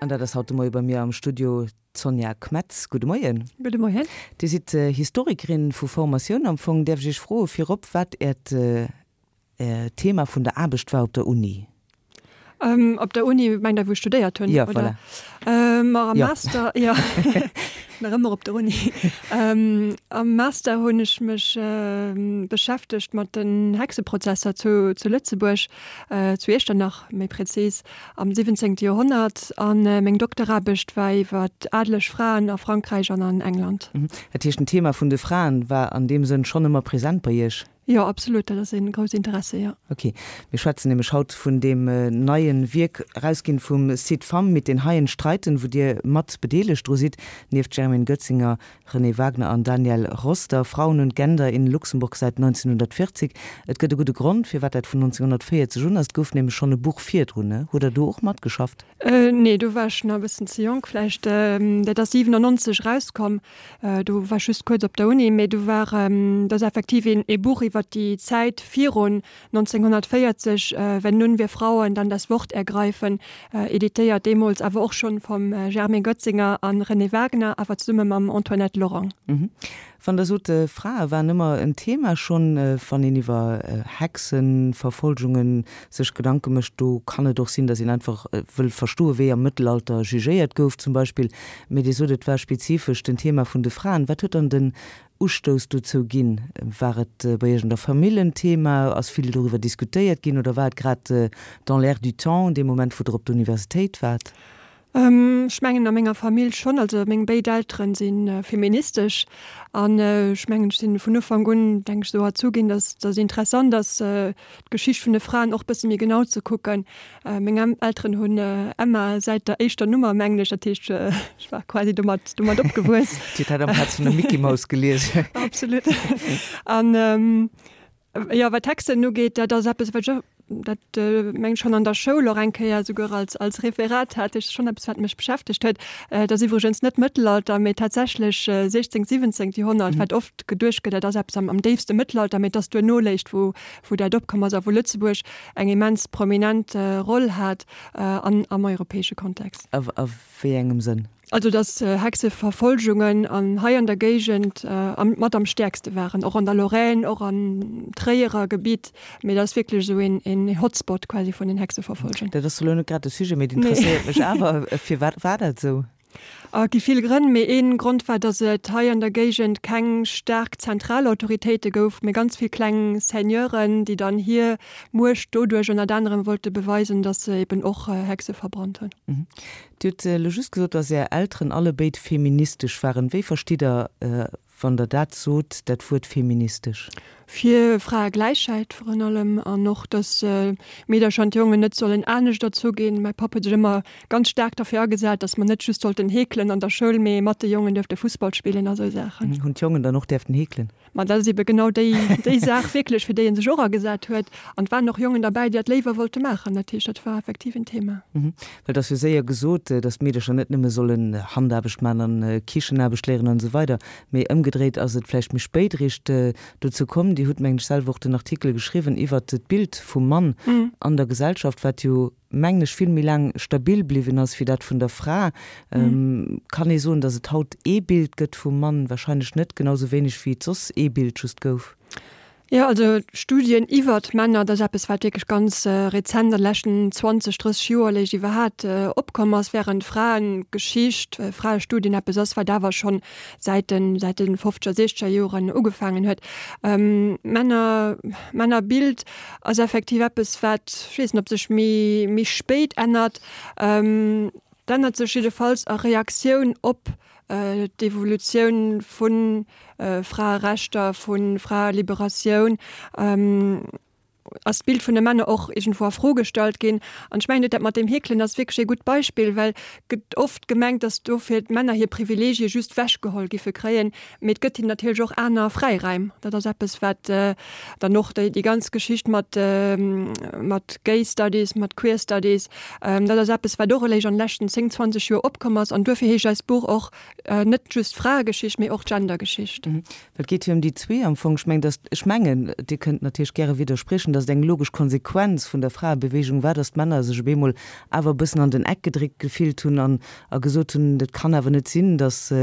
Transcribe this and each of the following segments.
An dat ass haut de Moie bei mir am Studio d'Sonja Kmetz. Gudde Moien. Gudde Moien. Dir sidd Historikerin vu Formatioun am Fong. Däerf ech Iech froe virop, wat Äert Thema vun der Aarbecht war op der Uni? Op der Uni, mengt Der, wou ech studéiert hunn? Jo, voilà. Ma am Master, jo, nach ëmmer op der Uni. Am Master hunn ech mech beschäftegt mat den Hexeprozesser zu Lëtzebuerg, zu Iechternach méi prezis, am 17. Joerhonnert. A meng Dokteraarbecht war iwwer adeleg Fraen a Frankräich an an England. Dat heescht, den Thema vun de Fraen war an deem Sënn schonn ëmmer present bei Iech? Jo, absolut, dat ass een grousst Interesse, jo. Ok, mir schwätzen nämlech haut vun deem neien Wierk, erausginn vum Site Femmes mit den Haien streiten, wou Dir mat bedeelegt dru sidd, nieft Germaine Goetzinger, Renée Wagner an Daniel Roster, Frauen und Gender in Luxemburg seit 1940. Et gëtt e gudde Grond, firwat dat vun 1940 un ass, et gouf nämlech schonn e Buch virdrun, ne? Hutt Der do och matgeschafft? Nee, do war ech nach e bëssen ze jonk vläicht. Dat ass 97 erauskomm. Do war ech just kuerz op der Uni, mee do war, dat ass effektiv een ee Buch iwwer déi Zäit virun 1940, Wenn nun wir Frauen dann das Wort ergreifen, editéiert deemools awer och schonn vum Germaine Goetzinger a Renée Wagner, awer zesumme mam Antoinette Lorang. Wann Der sot, Frae waren ëmmer en Thema schonn, wann een iwwer Hexenverfolgungen sech Gedanke mécht, do kann et och sinn, datt een einfach wëll verstoen, wéi am Mëttelalter jugéiert gouf zum Beispill. Mee Dir sot, et war spezifesch den Thema vun de Fraen. Wat huet dann den Ustouss dozou ginn? War et bei Iech an der Famill en Thema? Ass vill doriwwer diskutéiert ginn oder war et grad dans l'air du temps, dee Moment, wou Der op der Universitéit waart? Ech mengen a menger Famill schonn. Also meng béid Elteren si feministesch an ech mengen ech sinn vun Ufank un, denk ech, esou erzu ginn, datt datt interessant ass d'Geschicht vun de Fraen och bësse méi genau ze kucken. Meng Elteren hunn Emma säit der éischter Nummer, mengen ech, dat heescht ech war quasi domat domat opgewuess. Dir hutt dat amplaz vun der Mickey Mouse gelies. Absolut. An Jo, wat d'Hexen ugeet, dat ass eppes, wat ech, dat meng ech schonn an der Schoul och eng Kéier esouguer als, als Referat hat. Dat ass schonn eppes, wat mech beschäftegt huet. Dat ass iwwregens net Mëttelalter, mee tatsächlech 16, 17. Joerhonnert, wat oft geduecht gëtt, dat ass eppes am, am déifste Mëttelalter, mee et ass duerno léischt, wou, wou dat opkomm ass a wou Lëtzebuerg eng immens prominent Roll hat an, am europäesche Kontext. A, a wéi engem Sënn? Also dass Hexeverfolgungen an hei an der Géigend mat am stäerkste waren, och an der Lorraine, och am Tréierer Gebitt, mee dat ass wierklech esou een Hotspot quasi vun den Hexeverfolgungen. Dat ass elo net grad de Sujet, mee et interesséiert mech awer. Firwat war dat esou? Et gi vill Grënn, mee ee Grond war, dass et hei an der Géigend keng staark zentral Autoritéite gouf, mee ganz vill kleng Seigneuren, déi dann hir Muecht doduerch ënnert anerem wollte beweisen, dass se eben och Hexe verbrannt hunn. Dir hutt elo just gesot, dass Är Elteren allebéid feministesch waren. Wéi verstitt Der, wann Der dat sot, dat Wuert feministesch? Fir Fraegläichheit virun allem an och, dass Meedercher an d'Jongen net sollen anescht erzu ginn. Mäi Papp huet sech ëmmer ganz staark derfir agesat, dass mer net just sollten heekelen an der Schoul, mee mat de Jongen duerfte Fussball spillen a sou Saachen. Hunn d'Jongen dann och däerften heekelen? Ma dat ass ebe genau déi, déi Saach wierklech, fir déi e sech och agesat huet. An et waren och Jongen derbäi, déi dat léiwer wollte maachen. Dat heescht, dat war effektiv en Thema. Well et ass jo séier gesot, datt d'Meedercher net nëmme sollen Handaarbecht maachen an Kichenaarbecht léieren an esou weider, mee ëmgedréit ass et vläicht méi spéit eréischt dozou komm. Dir hutt, mengen ech, selwer och den Artikel geschriwwen iwwert d'Bild vum Mann an der Gesellschaft, wat jo mengen ech, vill méi laang stabil bliwwen ass wéi dat vun der Fra. Kann ee soen, datt et haut ee Bild gëtt vum Mann? Wahrscheinlech net, genau sou wéineg wéi et soss ee Bild just gouf. Jo, also Studien iwwert Männer, dat ass eppes, wat wierklech ganz rezent an de leschten 20, 30 Joer léischt iwwerhaat opkomm ass, während Fraegeschicht, Fraestudien eppes ass, wat awer schonn säit de säit de fofzeger, siechzeger Joren ugefaangen huet. Männer, Männerbild ass effektiv eppes, wat, ech weess net, ob sech méi méi spéit ännert. Et ännert sech jiddefalls a Reaktioun op d'Evolutioun vu Fraerechter, vu Fraeliberatioun. Ass d'Bild vun de Männer och iergendwou a Fro gestallt ginn. An ech mengen, dat mat deem Heekelen ass wierklech ee gutt Beispill, well gëtt oft gemengt, datt dofir d'Männer hir Privileegie just wechgeholl giffe kréien, mee et gëtt hinnen natierlech och aner Fräiräim. Dat ass eppes, wat dann och déi ganz Geschicht mat mat Gay Studies, mat Queer Studies, dat ass eppes, wat och eréischt an de leschten 10, 20 Joer opkomm ass. An duerfir heescht eist Buch och net just Fraegeschicht, mee och Gendergeschicht. Et geet jo ëm déi zwee am Fong. Ech mengen, dass, ech mengen, Dir kënnt natierlech gäre widderspriechen, dass. datt et eng logesch Konsequenz vun der Fraebeweegung war, datt d'Männer sech op eemol awer e bëssen an den Eck gedréckt gefillt hunn an a gesot hunn, dat kann awer net sinn, datt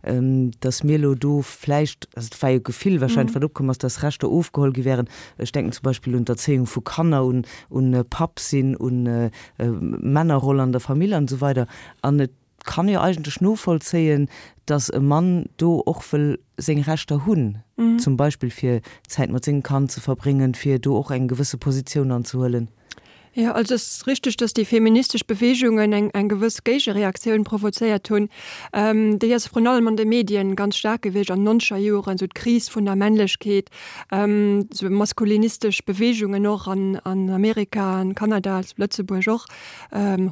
datt mir elo do vläicht, also et war jo d'Gefill wahrscheinlech wat opkomm ass, datt Rechter ofgeholl gi wären, ech denken zum Beispill un d'Erzéiung vu Kanner, un un Papp sinn, un Männerroll an der Famill an esou weider. An et kann jo eigentlech novollzéien, datt e Mann do och wëll seng Rechter hunn, zum Beispill fir Zäit mat sengem Kand ze verbréngen, fir do och eng gewësse Positioun anzehuelen. Jo, also et ass richteg, datt déi feministesch Beweegungen eng eng gewëss Géigereaktioun provozéiert hunn. Déi ass vrun allem an de Medien ganz staark gewiescht an den nonzeger Joren, esou d'Kris vun der Männlechkeet, esou maskulinistesch Beweegungen och an an Amerika, an Kanada, zu Lëtzebuerg och.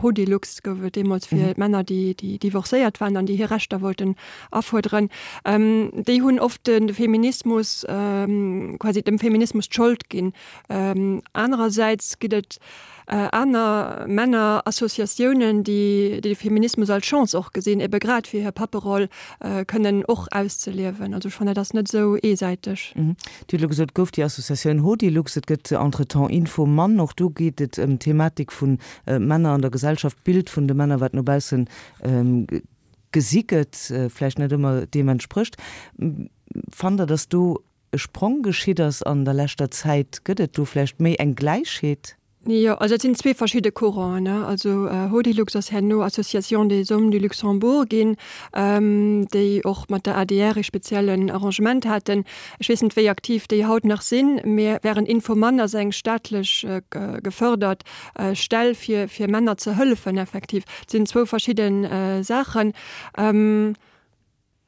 Hodilux gouf et deemools fir Männer, déi déi divorcéiert waren an déi hir Rechter wollten afuerderen. Déi hunn oft de Feminismus quasi dem Feminismus d'Schold ginn. Anerersäits ginn et aner Männerassociatiounen, déi de Feminismus als Chance och gesinn, ebe grad fir hir Papperoll kënnen och auszeliewen. Also ech fannen, dat ass net esou eesäiteg. Dir hutt elo gesot, et gouf déi Associatioun Hodilux, et gëtt entretemps Info Mann. Och do geet et ëm d'Thematik vu Männer an der Gesellschaft, d'Bild vun de Männer, wat no bausse gesi gëtt, vläicht net ëmmer deem entsprécht. Fannt Der, datt do e Sprong geschitt ass an der leschter Zäit? Gëtt et do vläicht méi eng Gläichheet? Jo, also dat sinn zwee verschidde Couranten, ne. Also Hodilux ass herno Association des Hommes du Luxembourg ginn, déi och mat der adr ee speziellen Arrangement haten. Ech weess net, wéi aktiv déi haut nach sinn, mä während Infomann ass eng staatlech gefërdert Stell fir fir Männer ze hëllefen effektiv. Dat sinn zwou verschidde Saachen.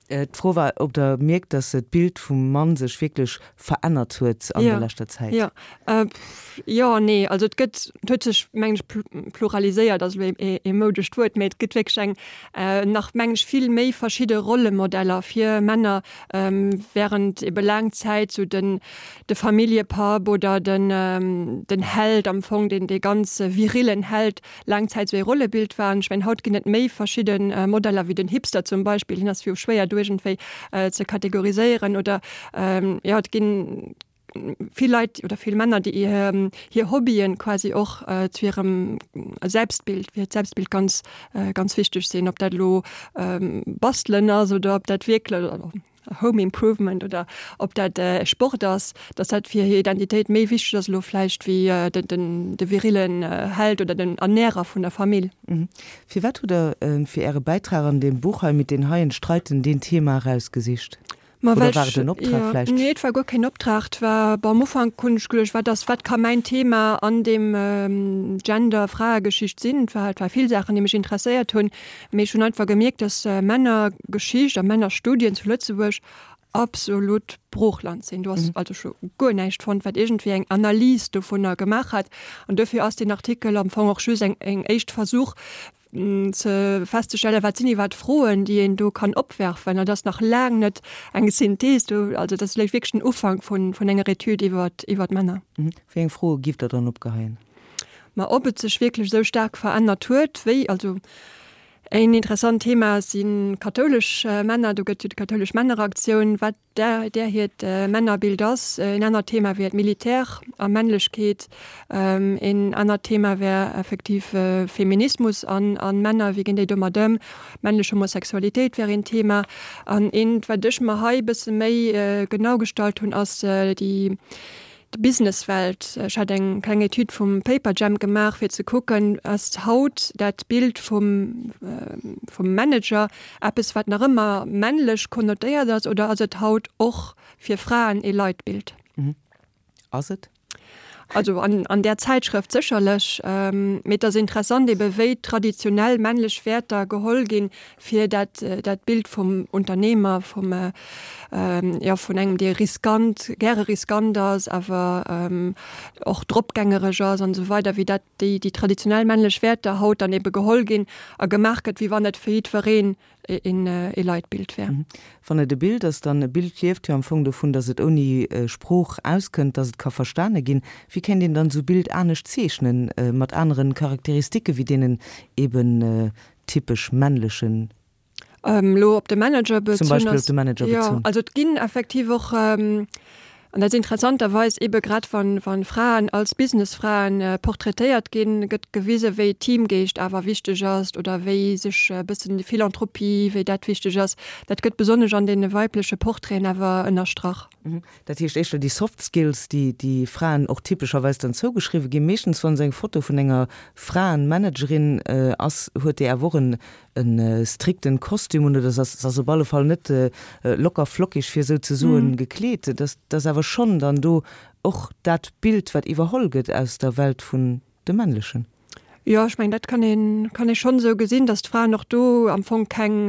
D'Fro war, ob Der mierkt, datt d'Bild vum Mann sech wierklech verännert huet an der leschter Zäit. Jo, jo an nee. Also et gëtt, et huet sech, mengen ech, pluraliséiert ass elo ee moudescht Wuert, mä et gëtt wierklech eng nach, mengen ech, vill méi verschidde Rollemodeller fir Männer, während ebe laang Zäit sou den de Familljepapp oder den den Held am Fong, deen dee ganz virillen Held, laang Zäit sou ee Rollebild waren. Ech mengen, haut ginn et méi verschidde Modeller wéi den Hipster zum Beispill. Hien ass jo schwéier do iergendwéi ze kategoriséieren. Oder jo, et ginn vill Leit oder vill Männer, déi hir Hobbyen quasi och zu hirem Selbstbild, fir hiert Selbstbild ganz, ganz wichteg sinn. Ob dat elo Bastelen ass oder ob dat wierklech, Home Improvement oder ob dat Sport ass, dass dat fir hir Identitéit méi wichteg ass elo vläicht wéi de virillen Held oder den Ernährer vun der Famill. Firwat hutt Der fir Äre Bäitrag an deem Buch hei Mit den Haien streiten deen Thema erausgesicht? Oder war et en Optrag vläicht? Nee, et war guer keen Optrag. Et war, bon, am Ufank hunn ech geduecht, wat ass, wat ka mäin Thema an deem Gender, Fraegeschicht sinn? Et war, et war vill Saachen, déi mech interesséiert hunn. Mee ech hunn einfach gemierkt, dass Männergeschicht a Männerstudien zu Lëtzebuerg absolut Broochland sinn. Do ass also scho guer näischt fonnt, wat iergendwéi eng Analys dovunner gemaach hat. An dofir ass deen Artikel am Fong och just eng eng éischt Versuch ze festzestellen, wat sinn iwwerhaapt d'Froen, déi een do kann opwerfen. An dat ass nach laang net eng Synthees do, also dat ass vläicht wierklech den Ufank vun vun enger Etüd iwwert iwwert Männer. Wéi eng Froe giff Der dann opgeheien? Ma ob et sech wierklech esou staark verännert huet, wéi, also een interessant Thema si kathoulesch Männer, do gëtt jo déi kathoulesch Männeraktioun, wat där där hiert Männerbild ass. Een anert Thema wier d'Militär a Männlechkeet. Een anert Thema wär effektiv Feminismus an a Männer, wéi ginn déi domat ëm? Männlech Homosexualitéit wär een Thema. An eent, wat ech mer hei e bësse méi genau gestallt hunn, ass déi D'Businesswelt, Ech hat eng kleng Etüd vum Paperjam gemaach, fir ze kucken, ass haut dat Bild vum vum Manager eppes, wat nach ëmmer männlech konnotéiert ass, oder ass et haut och fir Fraen ee Leitbild? Ass et? Also an an där Zäitschrëft sécherlech. Mee et ass interessant ebe wéi traditionell männlech Wäerter geholl ginn, fir dat dat Bild vum Unternehmer, vum jo vun engem dee riskant, gäre riskant ass, awer och dropgängereg ass an esou weider, wéi dat déi déi traditionell männlech Wäerter haut dann ebe geholl ginn a gemaach gëtt, wéi wann et fir jiddwereen een ee Leitbild wär. Wann et e Bild ass, dann e Bild lieft jo am Fong dovun, datt et ouni Sprooch auskënnt, datt et ka verstane ginn. Wéi kéint een dann esou Bild anescht zeechnen, mat aneren Charakteristike wéi deenen eben typesch männlechen. Elo op de Manager bezunn? Zum Beispill op de Manager bezunn. Jo, also et ginn effektiv och. An dat ass interessanterweis ebe grad wann, wann Fraen als Businessfraen portraitéiert ginn, gëtt gewise wéi Teamgeescht awer wichteg ass oder wéi sech e bëssen déi Philanthropie, wéi dat wichteg ass. Dat gëtt besonnesch an deene weibleche Portraiten awer ënnerstrach. Dat heescht éischter déi Soft Skills, déi déi Fraen och typescherweis dann zougeschriwwe ginn. Meeschtens wann esou eng Foto vun enger Fraenmanagerin ass, huet déi awer och en e strikten Kostüm un oder se ass op alle Fall net locker flockig, fir esou ze soen, gekleet. Et ass awer schonn dann do och dat Bild, wat iwwerholl gëtt aus der Welt vun de Männlechen. Jo, ech mengen, dat kann een, kann ee schonn esou gesinn, datt d'Fraen och do am Fong keng,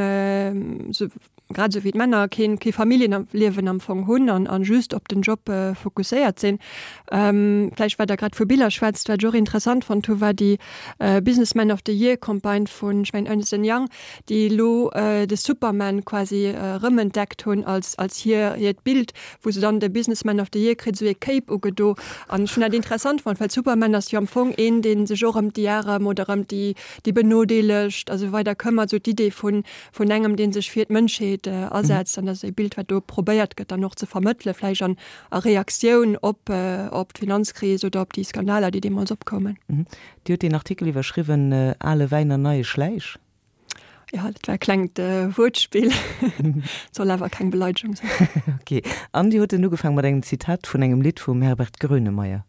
grad esou wéi d'Männer, keen, kee Familljenliewen am Fong hunn an, an just op den Job fokusséiert sinn. Vläicht, well Der grad vu Biller schwätzt, wat ech och interessant fonnt hu war déi Businessman of the Year Campagne vun, ech mengen, Ernst and Young, déi elo de Superman quasi erëmentdeckt hunn als, als hir, hiert Bild, wou se dann de Businessman of the Year kritt, esou ee Cape ugedo. An ech hunn dat interessant fonnt, well Superman ass jo am Fong een, dee sech och ëm déi Arem oder ëm déi, déi Benodeelegt a sou weider këmmert, esou d'Idee vun, vun engem, dee sech fir d'Mënschheet asetzt. An dat ass e Bild, wat do probéiert gëtt dann och ze vermëttelen, vläicht an a Reaktioun op, op d'Finanzkris oder op déi Skandaler, déi deemools opkoumen. Dir hutt deen Artikel iwwerschriwwen, Ale Wäin an neie Schläich. Jo, dat war e klengt Wuertspill, soll awer keng Beleidegung sinn. Ok. An Dir hutt en ugefaang mat engem Zitat vun engem Lidd vum Herbert Grönemeyer.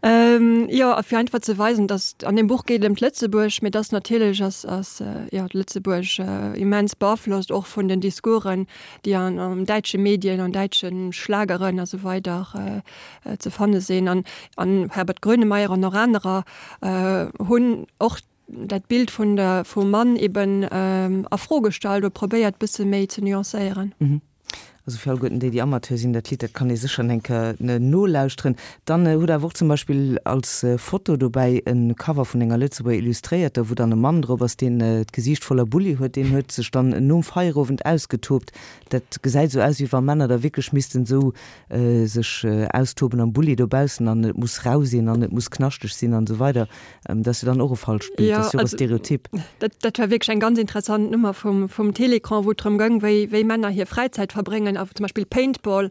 Jo, a fir einfach ze weisen, datt, an deem Buch geet et ëm d'Lëtzebuerg, mee datt natierlech ass, ass jo d'Lëtzebuerg immens beaflosst och vun den Discoursen, déi an an däitsche Medien, an däitsche Schlageren a sou weider ze fanne sinn. An an Herbert Grönemeyer an och anerer hunn och dat Bild vun der vum Mann eben a Fro gestallt oder probéiert bësse méi ze nuancéieren. Also fir alleguerten déi, déi Amateur sinn, dat Lidd, dat kann ee sécher eng Kéier nolauschteren. Dann hutt Der awer och zum Beispill als Foto dobäi e Cover vun enger Lëtzebuerger Illustréierter, wou dann e Mann drop ass, deen d'Gesiicht voller Bulli huet. Deen huet sech dann nom Feierowend ausgetobt. Dat gesäit esou aus, wéi wa Männer da wierklech missten esou sech austoben am Bulli dobaussen an et muss rau sinn an et muss knaschteg sinn an esou weider. Dat ass jo dann och e falscht Bild, dat ass jo och e Stereotyp. Dat, dat war wierklech eng ganz interessant Nummer vum, vum Télécran, wou et drëm goung, wéi, wéi Männer hir Fräizäit verbréngen a zum Beispill Paintball,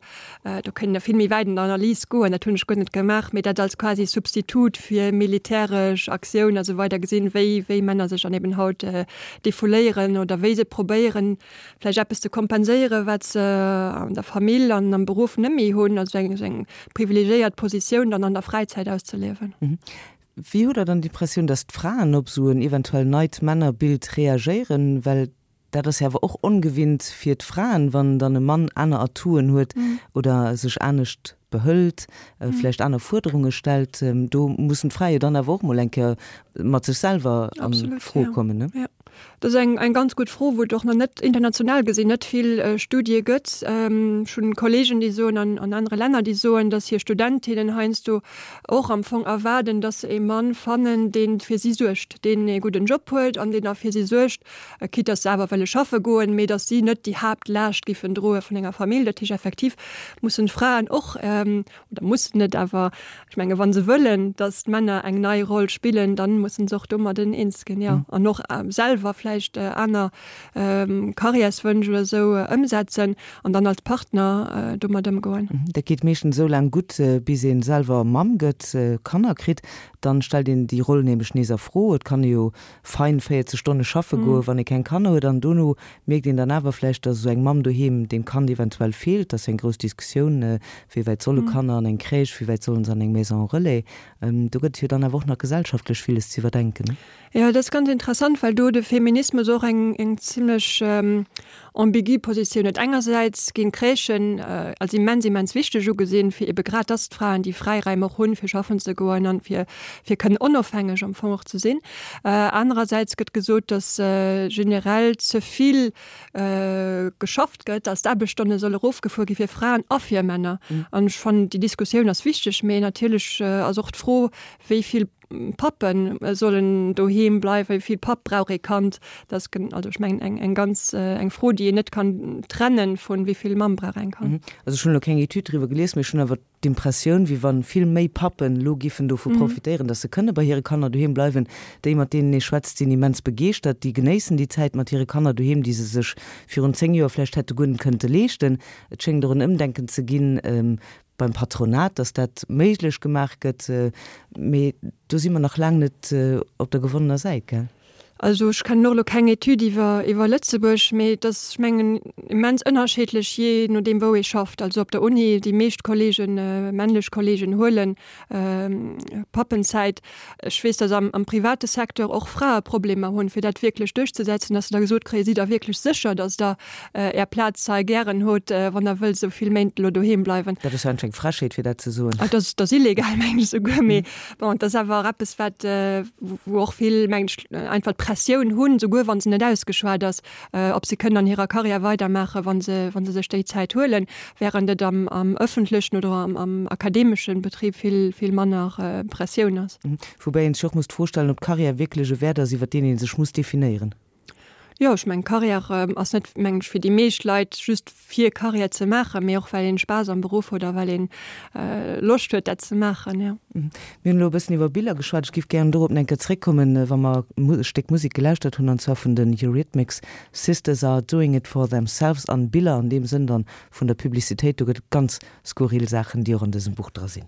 do kéint een nach vill méi wäit an der Analys goen, dat hunn ech guer net gemaach, mee dat als quasi Substitut fir militäresch Aktioun a sou weider gesinn, wéi, wéi Männer sech dann eben haut defouléieren oder wéi se probéieren, vläicht eppes ze kompenséieren, wat se an der Famill an am Beruff net méi hunn, also eng, eng privilegiéiert Positioun dann an der Fräizäit auszeliewen. Wéi hutt Der dann d'Impressioun, datt d'Fraen op esou en eventuell neit Männerbild reagéieren? Well dat ass jo awer och ongewinnt fir d'Fraen, wann dann e Mann aner Atouen huet oder sech anescht behëlt, vläicht aner Fuerderunge stellt. Do mussen d'Frae jo dann awer och mol eng Kéier mat sech selwer a Fro kommen, ne? Dat ass eng, eng ganz gutt Fro, wou et och nach net, international gesinn, net vill Studië gëtt. Ech hunn Kollegen, déi soen, an an anere Länner, déi soen, datt hir Studentinnen heiansdo och am Fong erwaarden, datt se ee Mann fannen, dee fir si suergt, deen ee gudden Job huet an deen da fir si suergt, quitte datt se awer wëlle schaffe goen, mee datt si net déi Haaptlaascht giffen droe vun enger Famill. Dat heescht effektiv mussen d'Fraen och, oder mussen net, awer ech menge wa se wëllen, datt d'Männer eng nei Roll spillen, dann mussen se och domadden eens ginn, jo, an och selwer vläicht aner Karriärswënsch oder esou ëmsetzen an dann als Partner domat ëmgoen. Dat geet meeschtens esou laang gutt, bis ee selwer Mamm gëtt, Kanner kritt. Dann stellt een déi Roll nämlech nees a Fro. Et kann ee jo fein 40 Stonne schaffe goen, wann ee keng Kanner huet, an dono mierkt een dann awer vläicht, dass esou eng Mamm doheem dem Kand eventuell feelt. Dat ass jo eng grouss Diskussioun, wéi wäit solle Kanner an eng Crèche, wéi wäit sollen se an eng Maison relais. Do gëtt et jo dann awer och nach gesellschaftlech villes ze iwwerdenken. Jo, dat ass ganz interessant, well do de Feminismus och eng eng zimlech ambigu Positioun huet. Engersäits ginn d'Crèchen als immens, immens wichteg ugesinn, fir ebe grad, dass d'Fraen déi Fräiräim och hunn, fir schaffen ze goen an fir fir kënnen onofhängeg am Fong och ze sinn. Anerersäits gëtt gesot, dass generell ze vill geschafft gëtt, dass d'Aarbechtsstonne solle erofgefuer gi fir Fraen a fir Männer. An ech fannen, déi Diskussioun ass wichteg, mee natierlech ass och d'Fro, wéi vill Pappe sollen doheem bleiwen, wéi vill Papp brauch ee Kand? Dat ass, also ech mengen, eng eng ganz eng Fro, déi een net kann trennen vun wéi vill Mamm brauch eng Kand. Also ech hunn elo keng Etüd driwwer gelies, mee ech hunn awer d'Impressioun, wéi wa vill méi Pappen elo giffen dovu profitéieren, datt se kënne bei hire Kanner doheem bleiwen. Déi, mat deenen ee schwätzt, sinn immens begeeschtert. Déi genéissen déi Zäit mat hire Kanner doheem, déi se sech virun 10 Joer vläicht hätte guer net kënnte leeschten. Et schéngt och en Ëmdenken ze ginn. beim Patronat, datt dat méiglech gemaach gëtt. Mee do si mer nach laang net op der gewonnener Säit, gell? Also ech kennen och elo keng Etüd iwwer iwwer Lëtzebuerg, mee et ass, ech mengen, immens ënnerscheedlech, jee nodeem wou ee schafft. Also op der Uni, déi meescht Kollegen, männlech Kollegen huelen Pappenzäit. Ech weess, datt am am private Secteur och Frae Problemer hunn, fir dat wierklech duerchzesetzen, datt se da gesot kréien, Sidd Der wierklech sécher, datt Der Är Plaz hei gären hutt, wann Der wëllt esou vill Méint elo doheem bleiwen? Dat ass jo eigentlech eng Frechheet, fir dat ze soen. Dat ass, dat ass illegal, mengen ech esouguer. Mee bon, et ass awer och eppes, wat, wou och vill, mengen ech, einfach d'Pressioun hunn, esouguer wa se net ausgeschwat ass, ob se kënnen an hirer Karriär weidermaachen, wa se, wa se sech déi Zäit huelen, während et am, am öffentlechen oder am, am akademeschen Betrib vill, vill manner Pressioun ass. Woubäi een sech och muss d'Fro stellen, ob d'Karriär wierklech e Wäert ass, iwwer deen ee sech muss definéieren. Jo, ech mengen, Karriär ass net, mengen ech, fir déi meescht Leit just fir Karriär ze maachen, mee och well een Spaass am Beruff huet a well een Loscht huet dat ze maachen, jo. Mir hunn elo e bëssen iwwer Biller geschwat. Ech géif gären dorop nach eng Kéier zréckkommen, wa mer e Stéck Musek gelauschtert hunn, an zwar vun den Eurythmics, Sisters are doing it for themselves. An Biller an deem Sënn dann vun der Publicitéit, do gëtt et ganz skurril Saachen, déi och an dësem Buch dra sinn.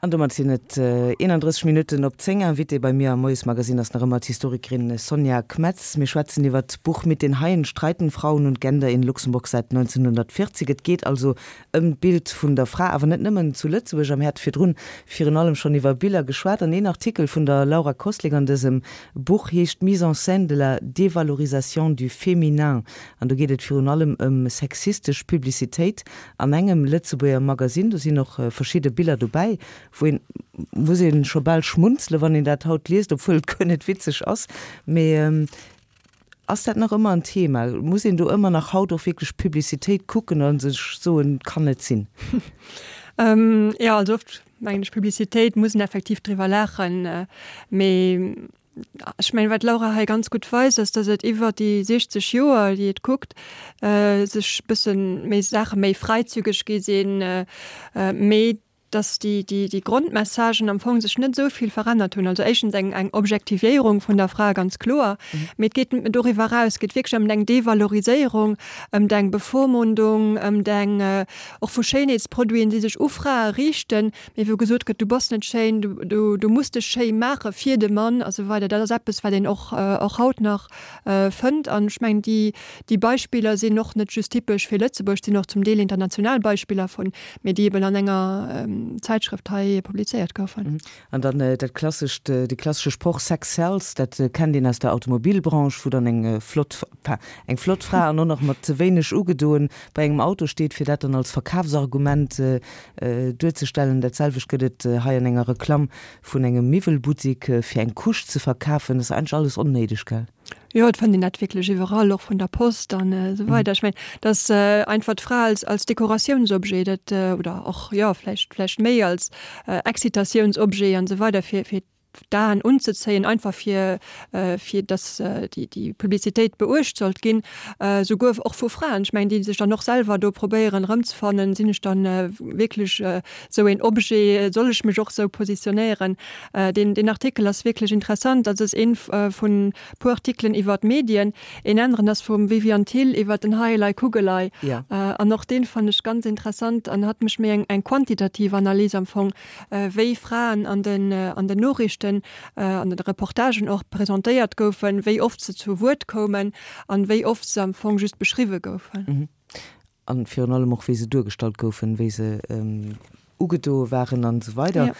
An domat sinn et 31 Minutten op 10. Invitée bei mir am Moiesmagazin ass nach ëmmer d'Historikerin Sonja Kmetz. Mir schwätzen iwwer d'Buch Mit den Haien streiten Frauen und Gender in Luxemburg seit 1940. Et geet also ëm d'Bild vun der Fra, awer net nëmmen zu Lëtzebuerg. A mir hate virdrun virun allem schonn iwwer Biller geschwat. An een Artikel vun der Laura Koslik an dësem Buch heescht Mise en scène de la dévalorisation du féminin. An do geet et virun allem ëm sexistesch Publicitéit An engem Lëtzebuerger Magasinn, do sinn och verschidde Biller dobäi, wou een, muss ee scho bal schmunzelen, wann een dat haut liest, obwuel et guer net witzeg ass. Mee ass dat nach ëmmer en Thema? Muss een do ëmmer nach haut och wierklech Publicitéit kucken a sech soen, kann net sinn? Jo, also oft mengen ech, Publicitéit muss een effektiv driwwer laachen, mee Ech mengen, wat d'Laura hei ganz gutt weist, ass, datt et iwwer déi 60 Joer, déi et kuckt, sech e bësse méi Saache méi fräizügeg gi sinn, mee datt déi, déi, déi Grondmessagen am Fong sech net esou vill verännert hunn. Also éischtens eng, eng Objektivéierung vun der Fra, ganz kloer, mee et geet doriwwer eraus, et geet wierklech ëm eng Devaloriséierung, ëm eng Bevormundung, ëm eng och vu Schéinheetsproduiten, déi sech u Frae riichten, Mee wou gesot gëtt, du bass net schéin, du, du muss dech schéi maache fir de Mann a sou weider, dat ass eppes, wat een och, och haut nach fënnt. An ech mengen, déi, déi Beispiller sinn och net just typesch fir Lëtzebuerg, et sinn och zum Deel international Beispiller vun, mee déi eben an enger Zäitschrëft hei publizéiert goufen. An dann dat klassescht, de klassesche Sproch Sex sells, dat kennt een aus der Automobilbranche, wou dann eng flott, enfin eng flott Fra an och nach mat ze wéineg ugedoen bei engem Auto steet, fir dat dann als Verkafsargument duerzestellen. Dat selwecht gëtt et hei an enger Reklamm vun engem Miwwelbuttik, fir eng Couche ze verkafen. Dat ass eigentlech alles onnéideg, gell? Jo, et fënnt een dat wierklech iwwerall, och vun der Post an esou weider. Ech mengen, dass einfach d'Fra als, als Dekoratiounsobjet, dat, oder och, jo, vläicht, vläicht méi als Excitatiounsobjet an esou weider fir, fir d'Aen unzezéien, einfach fir, fir dass déi, déi Publicitéit beuecht sollt ginn, souguer och vu Fraen, ech mengen, déi sech dann och selwer do probéieren erëmzefannen, sinn ech dann wierklech esou een Objet, soll ech mech och esou positionéieren? Deen, deen Artikel ass wierklech interessant, dat ass ee vun puer Artikelen iwwer d'Medien. Een aneren ass vum Viviane Thill iwwer den Heielei Kugelei. An och deen fannen ech ganz interessant an hat mech méi eng, eng quantitativ Analys am Fong, wéi Fraen an den, an den Noriichten, an den Reportagen och presentéiert goufen, wéi oft se zu Wuert koumen an wéi oft se am Fong just beschriwwe goufen. An virun allem och wéi se duergestallt goufen, wéi se ugedoe waren an esou weider.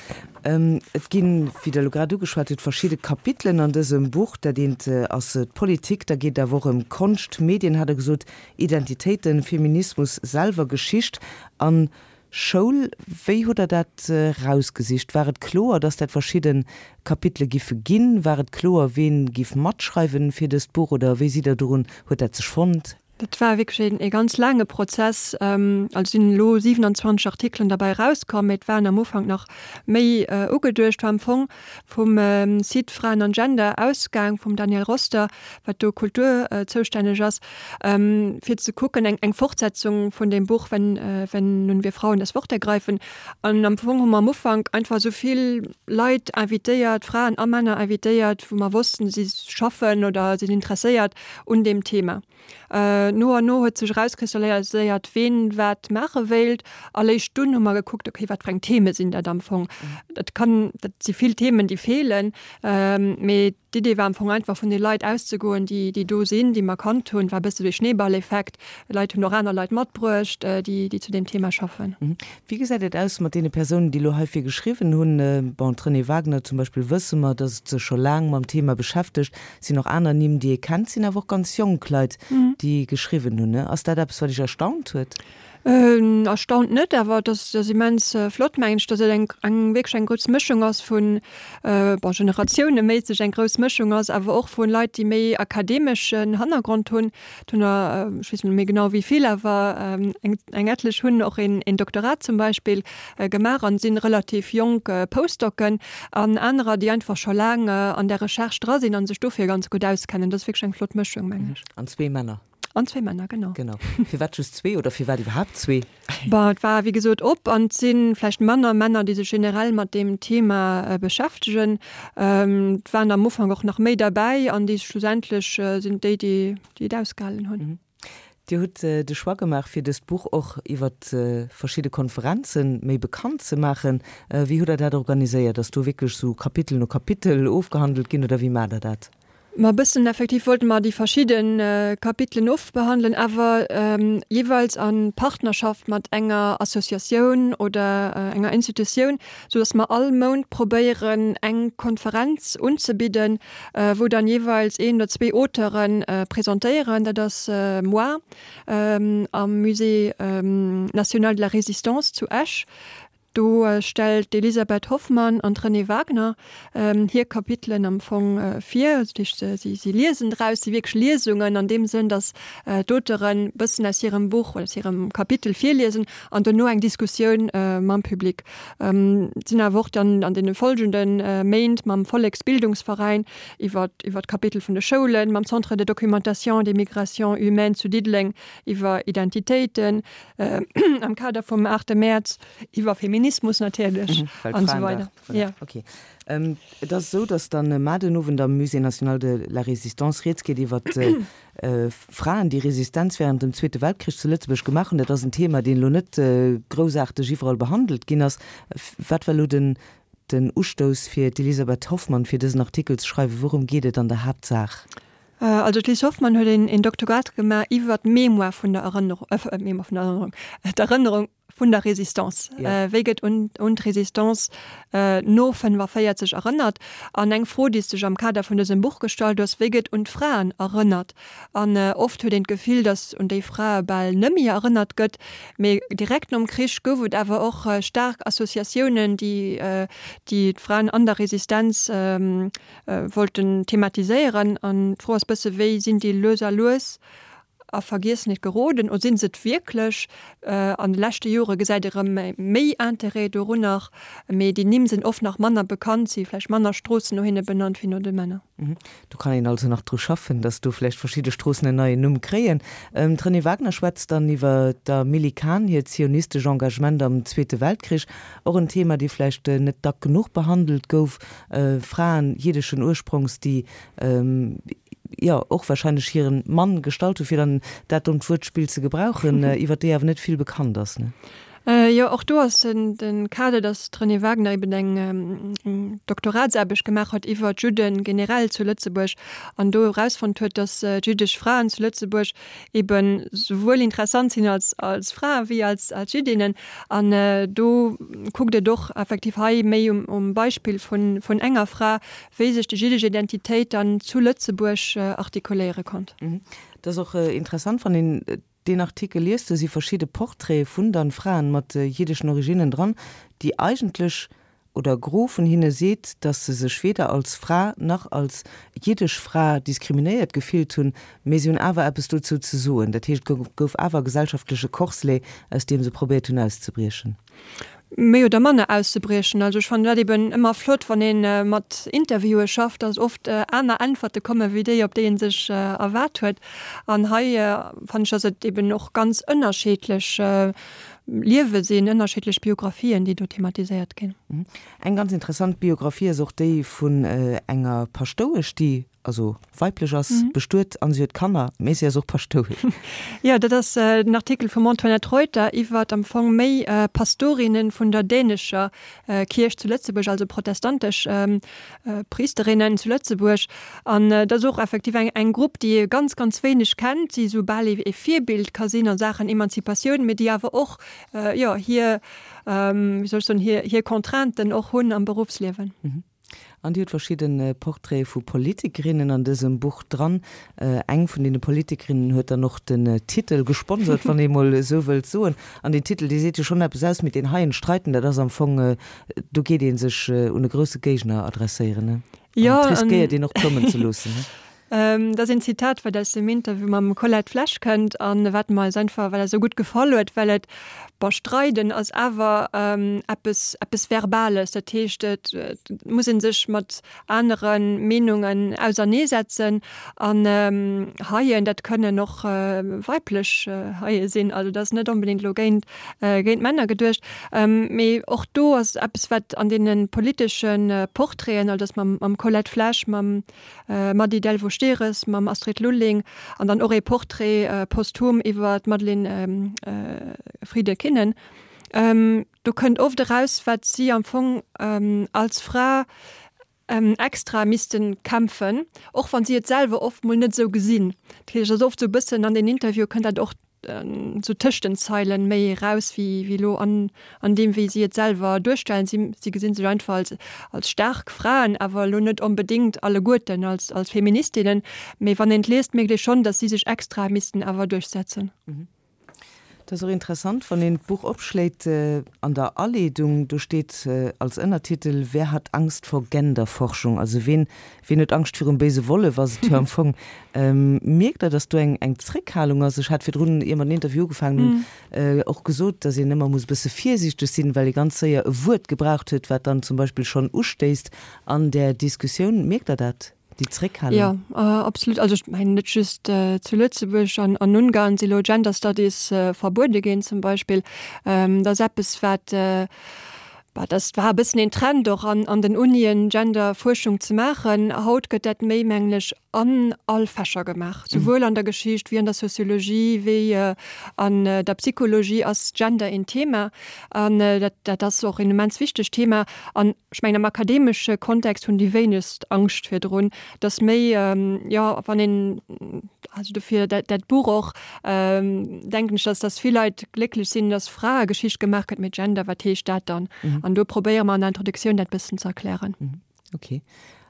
Et ginn, wéi Der elo grad ugeschwat hutt, verschidde Kapitelen an dësem Buch. Dat eent ass d'Politik, da geet et awer och ëm Konscht, Medien, hat Der gesot, Identitéiten, Feminismus selwer, Geschicht an Schoul. Wéi hutt Der dat rausgesicht? War et kloer, dass dat verschidde Kapitele giffe ginn? War et kloer, ween giff matschreiwen fir dëst Buch oder wéi sidd Der dorun, huet dat sech fonnt? Dat war wierklech ee ganz laange Prozess. Also sinn elo 27 Artikelen derbäi erauskomm, mee et waren am Ufank nach méi ugeduecht. War am Fong vum Site Fraen an Gender ausgaang, vum Daniel Roster, wat do Kultur zoustänneg ass, fir ze kucken, eng eng Fortsetzung vun deem Buch Wenn, wenn nun wir Frauen das Wort ergreifen. An am Fong hu mer am Ufank einfach esou vill Leit invitéiert, Fraen a Männer invitéiert, wou mer wossten, si schaffen oder sinn interesséiert un deem Thema. No an no huet sech erauskristalliséiert, ween wat maache wéilt. A léischt dunn hu mer gekuckt, okay, wat fir eng Theme sinn dat am Fong. Dat kann, dat si vill Themen, déi feelen, mee d'Idee war am Fong einfach vun de Leit auszegoen, déi, déi do sinn, déi mer kannt hunn. War e bësse wéi Schneeballeffekt. Leit hunn och aner Leit matbruecht, déi, déi zu deem Thema schaffen. Wéi gesäit et aus mat deene Persounen, déi elo heifir geschriwwen hunn? Bon, d'Renée Wagner zum Beispill wësse mer, datt se scho laang mam Thema beschäftegt. Sinn och aner Nimm, déi ee kennt, sinn awer och ganz jonk Leit, déi geschriwwen hunn. Ass dat eppes, wat Iech erstaunt huet? Erstaunt net, awer et ass immens flott, mengen ech, datt et eng eng wierklech eng grouss Mëschung ass vun, bon, generatiouneméisseg eng grouss Mëschung ass, awer och vu Leit, déi méi akademeschen Hannergrond hunn. Et hunn der, ech weess net méi genau wéi vill, awer eng eng etlech hunn och een een Doktorat zum Beispill gemaach an sinn relativ jonk Postdocen an anerer, déi einfach scho laang an där Recherche dra sinn an sech dofir ganz gutt auskennen. Dat ass wierklech eng flott Mëschung, mengen ech. An zwee Männer. An zwee Männer, genau. Genau. Firwat just zwee oder firwat iwwerhaapt zwee? Bon, et war wéi gesot op an et si vläicht manner Männer, déi sech generell mat deem Thema beschäftegen. Et waren am Ufank och nach méi derbäi an déi schlussendlech sinn et déi, déi et ausgehalen hunn. Dir hutt de Choix gemaach, fir dëst Buch och iwwer verschidde Konferenze méi bekannt ze maachen. Wéi hutt Der dat organiséiert? Ass do wierklech esou Kapitel no Kapitel ofgehandelt ginn oder wéi maacht Der dat? Ma e bëssen effektiv wollte mer déi verschidde Kapitelen ofbehandelen, awer jeeweils a Partnerschaft mat enger Associatioun oder enger Institutioun, sou datt mer all Mount probéieren, eng Konferenz unzebidden, wou dann jeeweils een oder zwee Auteure presentéieren. Dat ass moar am Musée national de la Résistance zu Esch. Do stellt d'Elisabeth Hoffmann an d'Renée Wagner hir Kapitelen am Fong vir. Dat heescht, si liesen draus, si wierklech Liesungen an deem Sënn, datt d'Auteuren e bëssen aus hirem Buch oder aus hirem Kapitel virliesen an dono eng Diskussioun mam Public. Et sinn awer och dann an deene folgende Méint mam Volleksbildungsveräin iwwer iwwer d'Kapitel vun de Schoulen, mam Centre de documentation des migrations humaines zu Diddeleng iwwer Identitéiten, am Kader vum 8 Mäerz iwwer Feminismus natierlech an esou weider. Ja. Okay. Et ass esou, datt dann mar den Owend am Musée national de la Résistance rieds geet iwwer Fraen, déi Resistenz während dem Zweete Weltkrich zu Lëtzebuerg gemaach hunn. Dat ass en Thema, deen elo net groussaarteg iwwerall behandelt ginn ass. Wat war elo den den Ustouss fir d'Elisabeth Hoffmann, fir dësen Artikel ze schreiwen? Wourëm geet et an der Haaptsaach? Also d'Liz Hoffmann huet een Doktorat gemaach iwwer d'Mémoire vun der Erënnerung, d'Mémoire vun der Erënnerung, d'Erënnerung vun der Résistance. Wéi gëtt un d'Résistance no 45 erënnert? An eng Fro, déi sech am Kader vun dësem Buch gestallt ass, Wéi gëtt un d'Fraen erënnert? An oft huet een d'Gefill, datt un déi Frae bal nëmme erënnert gëtt. Mee direkt nom Krich gouf et awer och staark Associatiounen, déi d'Fraen an der Resistenz wollten thematiséieren. An d'Fro ass bësse, wéi sinn déi lues a lues a Vergiessenheet geroden? Oder sinn se et wierklech? An de leschte Jore gesäit ee rëm méi Interêt dorunner, mee déi Nimm sinn oft nach manner bekannt, si vläicht manner Stroossen no hinne benannt wéi no de Männer. Do kann een also nach dru schaffen, datt do vläicht verschidde Stroossen en neien Numm kréien. D'Renée Wagner schwätzt dann iwwer der Milly Kahn hiert zionistesch Engagement am Zweete Weltkrich, och en Thema, dee vläicht net dack genuch behandelt gouf. Fraen jiddeschen Ursprongs, déi jo och wahrscheinlech hiren Mann gestallt hu fir dann dat dommt Wuertspill ze gebrauchen, iwwer déi awer net vill bekannt ass, ne? Jo, och do ass den Kader, datt d'Renée Wagner eben eng Doktoratsaarbecht gemaach huet iwwer d'Judde generell zu Lëtzebuerg an do erausfonnt huet, datt jüddesch Fraen zu Lëtzebuerg eben souwuel interessant sinn als als Frae wéi als als Jüddinnen. An do kuckt et och effektiv hei méi um Beispill vun vun enger Fra, wéi sech déi jiddesch Identitéit dann zu Lëtzebuerg artikuléiere konnt. Et ass och interessant, wann een deen Artikel liest, do si verschidde Portraite vun dann Fraen mat jiddeschen Originnen dran, déi eigentlech, oder e Gros vun hinne seet, dass se sech weder als Fra nach als jiddesch Fra diskriminéiert gefillt hunn, mee se hunn awer eppes dozou ze soen. Dat heescht, et gouf awer e gesellschaftleche Corselet, aus deem se probéiert hunn auszebriechen. Méi oder manner auszebriechen. Also ech fannen dat eben ëmmer flott, wann ee mat Interviewe schafft, dass oft aner Äntwerte komme wéi déi, op déi ee sech erwaart huet. An hei fannen ech, dass et eben och ganz ënnerscheedlech Liewe sinn, ënnerscheedlech Biographien, déi do thematiséiert ginn. Eng ganz interessant Biographie ass och déi vun enger Paschtouesch, déi also weiblech ass, bestuet an si huet Kanner, mee si ass och Paschtouesch. Jo, dat ass den Artikel vum Antoinette Reuter iwwert am Fong méi Pastorinnen vun der dänescher Kierch zu Lëtzebuerg, also protestantesch Priesterinnen zu Lëtzebuerg. An dat ass och effektiv eng eng Grupp, déi ee ganz, ganz wéineg kennt, déi esou bal ee Virbild ka sinn a Saachen Emanzipatioun, mee déi awer och, jo, hir, wéi soll ech soen, hir hir Contrainten och hunn am Beruffsliewen. An Dir hutt verschidde Portraite vu Politikerinnen an dësem Buch dran. Eng vun deene Politikerinnen huet dann och den Titel gesponsert, wann ee mol esou wëllt soen. An deen Titel, dee seet jo schonn eppes aus, Mit den Haien streiten. Dat ass am Fong, do geet ee sech un e grousse Géigner adresséieren, ne? An et riskéiert een och plommen ze loossen, ne? Dat ass een Zitat, wat aus dem Interview mam Colette Flesch kënnt an wat mer eis einfach, well eis esou gutt gefall huet, well et, bon, streiden ass awer eppes, eppes Verbales, dat heescht, et muss ee sech mat anere Meenungen auserneesetzen an Haien, dat kënnen och weiblech Haie sinn, also dat ass net onbedéngt elo géint, géint Männer geduecht. Mee och do ass eppes, wat an deene politesche Portraiten, also dat mam Colette Flesch, mam Mady Delvaux-Stehres. Stehres, mam Astrid Lulling an dann och ee Portrait posthum iwwer d'Madeleine Friede-Kinnen. Do kënnt oft eraus, wat si am Fong als Fra extra misste kämpfen, och wann si et selwer oft mol net esou gesinn. Dat heescht, et ass oft esou e bëssen an den Interviewe kënnt dat och esou tëscht den Zeilen méi eraus wéi wéi elo an an deem wéi si et selwer duerstellen. Si si gesinn sech einfach als als staark Fraen, awer elo net onbedéngt alleguerten als als Feministinnen. Mee wann een et liest, mierkt ee schonn, datt si sech extra missten awer duerchsetzen. Et ass och interessant, wann een d'Buch opschléit, an der Aleedung, do steet als Ënnertitel Wer hat Angst vor Genderforschung? Also ween, ween huet Angscht virum béise Wollef, ass et jo am Fong. Mierkt Der, datt do eng, eng Zréckhalung ass? Ech hat virdrun, ier mer den Interview ugefaangen hunn, och gesot, datt een ëmmer muss e bësse virsiichteg sinn, well ee ganz séier e Wuert gebraucht huet, wat dann zum Beispill schonn ustéisst an där Diskussioun. Mierkt Der dat? Déi Zréckhalung? Jo, absolut. Also ech mengen net just zu Lëtzebuerg, an an Ungarn si lo Gender Studies verbuede ginn zum Beispill. Dat ass eppes wat, bah, dat war e bëssen een Trend och an an den Unien Gender-Fuerschung ze maachen. Haut gëtt dat méi mengen ech an all Fächer gemaach, souwuel an der Geschicht wéi an der Soziologie wéi an der Psychologie ass Gender een Thema. An dat dat ass och een immens wichtegt Thema. An Ech mengen am akademesche Kontext hunn déi wéinegst Angscht virdrun, dass méi, jo wann een, also dofir dat dat Buch och, denken ech, dass dass vill Leit glécklech sinn, dass Fraegeschicht gemaach gëtt, mee Gender, wat heescht dat dann? An do probéiere mer an der Introduktioun dat bëssen ze erklären. Okay.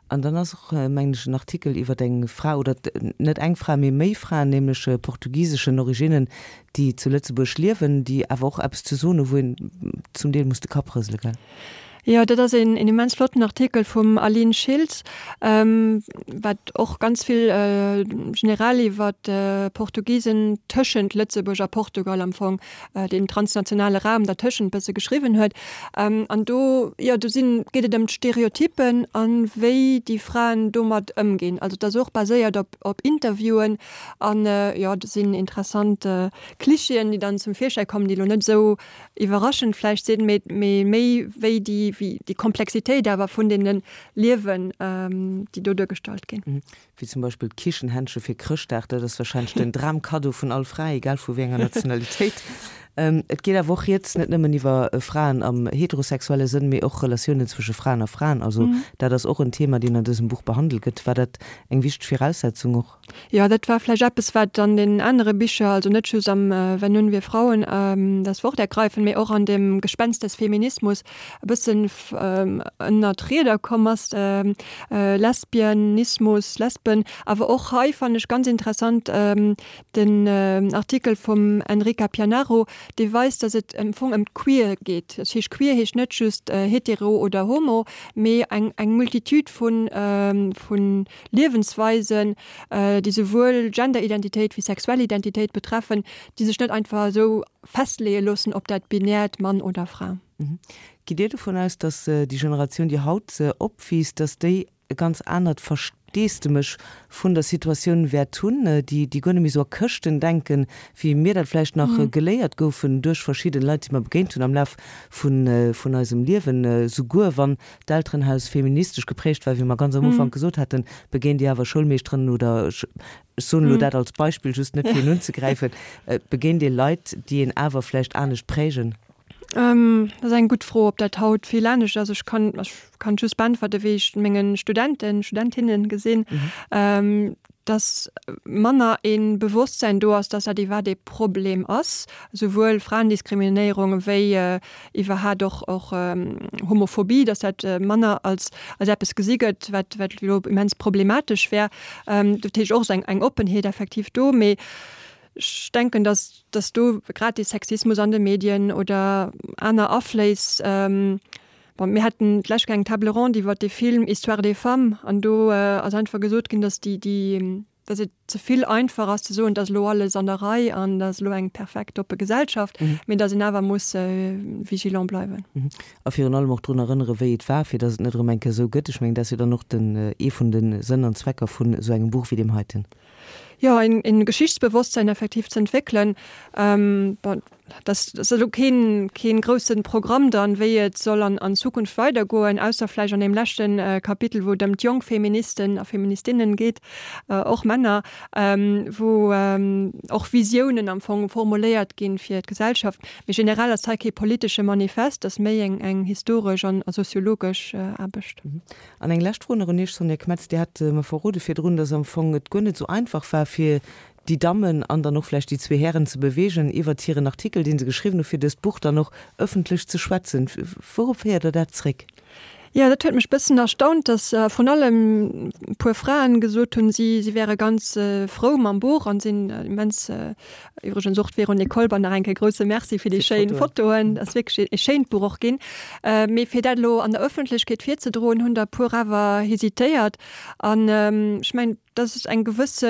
An dann ass och, mengen ech, en Artikel iwwer eng Fra, oder net eng Fra, mee méi Fraen, nämlech portugiseschen Originnen, déi zu Lëtzebuerg liewen, déi awer och eppes ze soen hu wou een zum Deel muss de Kapp rësele, gell? Jo, dat ass een immens flotten Artikel vum Aline Schiltz, wat och ganz vill generell iwwer d'Portugisen tëschent Lëtzebuerg a Portugal am Fong, deen transnationale Raum dertëschent bësse geschriwwen huet. An do, jo, do sinn, geet et ëm d'Stereotypen an wéi déi Fraen domat ëmginn. Also et ass och baséiert op, op Interviewen an, jo, do sinn interessant Klischeeën, déi dann zum Virschäi kommen, déi elo net esou iwwerraschend vläicht sinn, mee, mee méi wéi déi, wéi déi Komplexitéit awer vun deene Liewen, déi do duergestallt ginn. Wéi zum Beispill d'Kichenhändche fir Chrëschtdag, dat ass warscheinlech den Dramkaddo vun all Fra, egal vu wéi enger Nationalitéit. Et geet awer och rieds net nëmmen iwwer Fraen am heterosexuelle Sënn, mee och Relatiounen zwësche Fraen a Fraen. Also dat ass och en Thema, deen an dësem Buch behandelt gëtt. War dat eng wichteg Viraussetzung och? Jo, dat war vläicht eppes, wat an den anere Bicher, also net just am Wenn nun wir Frauen das Wort ergreifen, mee och an dem Gespenst des Feminismus e bëssen ënner d'Rieder komm ass, Lesbianismus, Lesben. Awer och hei fannen ech ganz interessant den Artikel vum Enrica Pianaro, dee weist, datt et am Fong ëm d'Queer geet. Dat heescht, queer heescht net just hetero oder homo, mee eng eng Multitude vu vu Liewensweisen, déi souwuel Genderidentitéit wéi sexuell Identitéit betreffen, déi sech net einfach esou festleeë loossen op dat binäert Mann oder Fra. Gitt Dir dovun aus, datt déi Generatioun, déi haut opwiisst, datt déi e ganz anert Versteesdemech vun der Situatioun wäert hunn, déi déi guer net méi esou a Këschten denken, wéi mir dat vläicht nach geléiert goufen duerch verschidden Leit, déi mer begéint hunn am Laf vun vun eisem Liewen? Souguer wann d'Elterenhaus feministesch geprägt war, wéi mer ganz am Ufank gesot haten, begéint Dir awer Schoulmeeschteren oder, ech soen elo dat als Beispill just net fir een unzegräifen, begéint Dir Leit, déi een awer vläicht anescht prägen? Dat ass eng gutt Fro, ob dat haut vill anescht ass. Ech kann, ech kann just beäntwerte wéi ech menge Studenten, Studentinnen gesinn, dass manner ee Bewosstsäin do ass, dass dat iwwerhaapt ee Problem ass, souwuel Fraendiskriminéierung wéi iwwerhaapt och och Homophobie, dass dat manner als als eppes gesi gëtt, wat wat elo immens problematesch wär. Dat heescht och, ass eng eng Oppenheet effektiv do, mee Ech denken, dass, dass do grad dee Sexismus an de Medien oder aner Afléiss, bon, mir haten d'lescht Kéier eng Table ronde iwwert dee Film Histoire des femmes an do ass einfach gesot ginn, dass déi, déi, dass et ze vill einfach ass ze soen, et ass elo alles an der Rei an et ass elo eng perfekt oppe Gesellschaft, mee dass een awer muss vigilant bleiwen. A virun allem och drun erënnere wéi et war, fir dass et net erëm eng Kéier esou gëtt. Ech mengen, dat ass jo dann och den, ee vun de Sënn an Zwecker vun esou engem Buch wéi deem heiten. Jo, een Geschichtsbewosstsein effektiv ze entwéckelen. Bon. Dat ass elo keen, keen groussen Programm dann, wéi et soll an, an Zukunft weidergoen, ausser vläicht an deem leschten Kapitel, wou et ëm d'jonk Feministen a Feministinnen geet, och Männer, wou och Visiounen am Fong formuléiert ginn fir d'Gesellschaft. Mee generell ass hei kee politesche Manifest, ass méi eng, eng historesch an soziologesch Aarbecht. An eng lescht Fro nach un Iech, Sonja Kmetz, Dir hat mer verrode virdrun, dass am Fong et guer net esou einfach war, fir déi Dammen an dann och vläicht déi zwee Hären ze beweegen, iwwert hiren Artikel, dee se geschriwwen hu fir dëst Buch, dann och ëffentlech ze schwätzen. Wourop féiert Der dat zréck? Jo, dat huet mech bëssen erstaunt, dass vrun allem e puer Fraen gesot hunn, si si wäre ganz frou mam Buch an sinn immens, iwwregens och d'Véronique Kolber nach eng Kéier grousse Merci fir déi schéin Fotoen, ass wierklech e schéint Buch och ginn. Mee fir dat elo an der Ëffentlechkeet virzedroen, hunn der e puer awer hesitéiert an ech mengen, Dat ass eng gewësse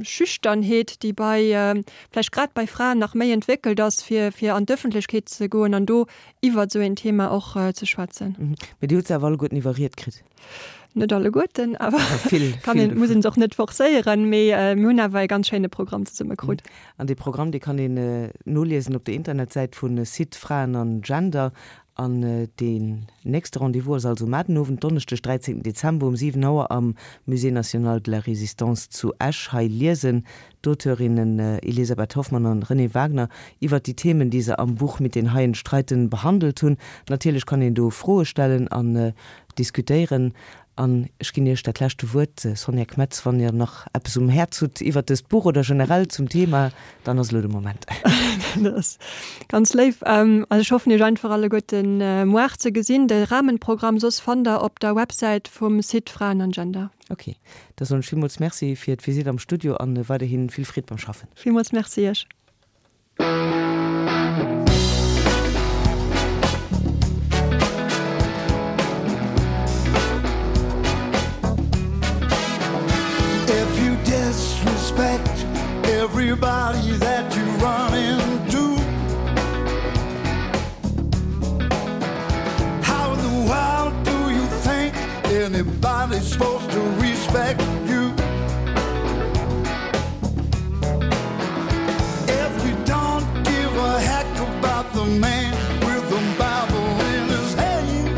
Schüchternheet, déi bei, vläicht grad bei Fraen nach méi entwéckelt ass, fir, fir an d'Ëffentlechkeet ze goen an do iwwert esou een Thema och ze schwätzen. Mee Dir hutt se awer alleguerten iwwerriet kritt? Net alleguerten, awer kann een, muss een se och net forcéieren. Mee mir hunn awer e ganz schéine Programm zesumme krut. An dee Programm, dee kann een noliesen op der Internetsäit vu Site Fraen an Gender. An deen nächste Rendez-vous ass also mar den Owend, Donneschdeg, 13 Dezember um 7 Auer am Musée National de la Résistance zu Esch. Hei liesen d'Auteurinnen Elisabeth Hoffmann an Renée Wagner iwwert déi Themen, déi se am Buch Mit den Haien streiten behandelt hunn. Natierlech kann een do Froe stellen an diskutéieren. An ech ginn Iech dat leschte Wuert, Sonja Kmetz, wann Dir nach eppes um Häerz hutt iwwert dëst Buch oder generell zum Thema, dann ass elo de Moment. Dat ass ganz léif. Also ech hoffen Iech einfach alleguerten muar ze gesinn. De Rahmenprogramm soss fannt der op der Websäit vum Site Fraen an Gender. Ok, da soen ech villmools Merci fir d'Visitt am Studio an weiderhi vill Freed beim Schaffen. Villmools Merci Iech. If you disrespect everybody that you run into How in the world do you think anybody's supposed to respect you? If you don't give a heck about the man with the Bible in his hand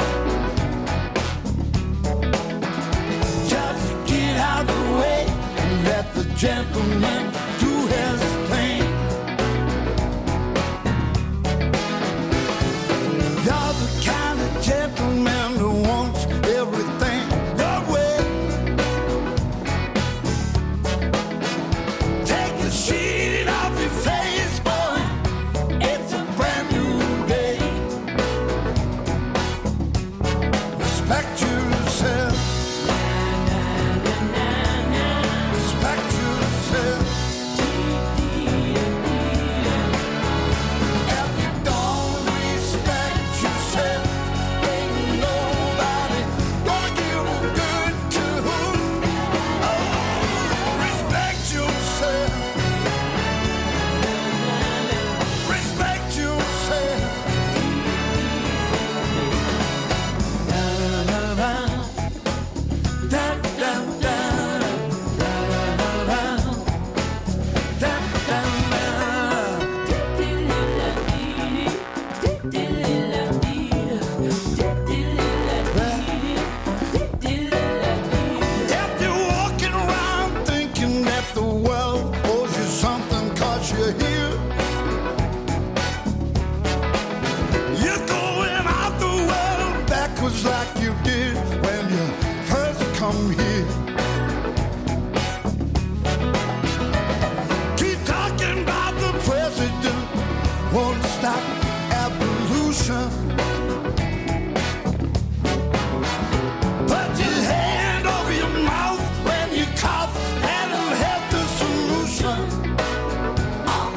Just get out the way and let the gentleman do his thing You're the kind of gentleman who wants everything your way Take the sheet off your face, boy. It's a brand new day. Respect yourself. Respect yourself. If you don't respect yourself, ain't nobody gonna give a good to Oh, respect yourself. Respect yourself. Da, da, da, da, da, da, da, da. If you're walking around thinking that the world owes you something cause you're here, you're going out the world backwards like you did when you first come here. Keep talking about the president won't stop evolution. Put your hand over your mouth when you cough and it'll help the solution. Ah.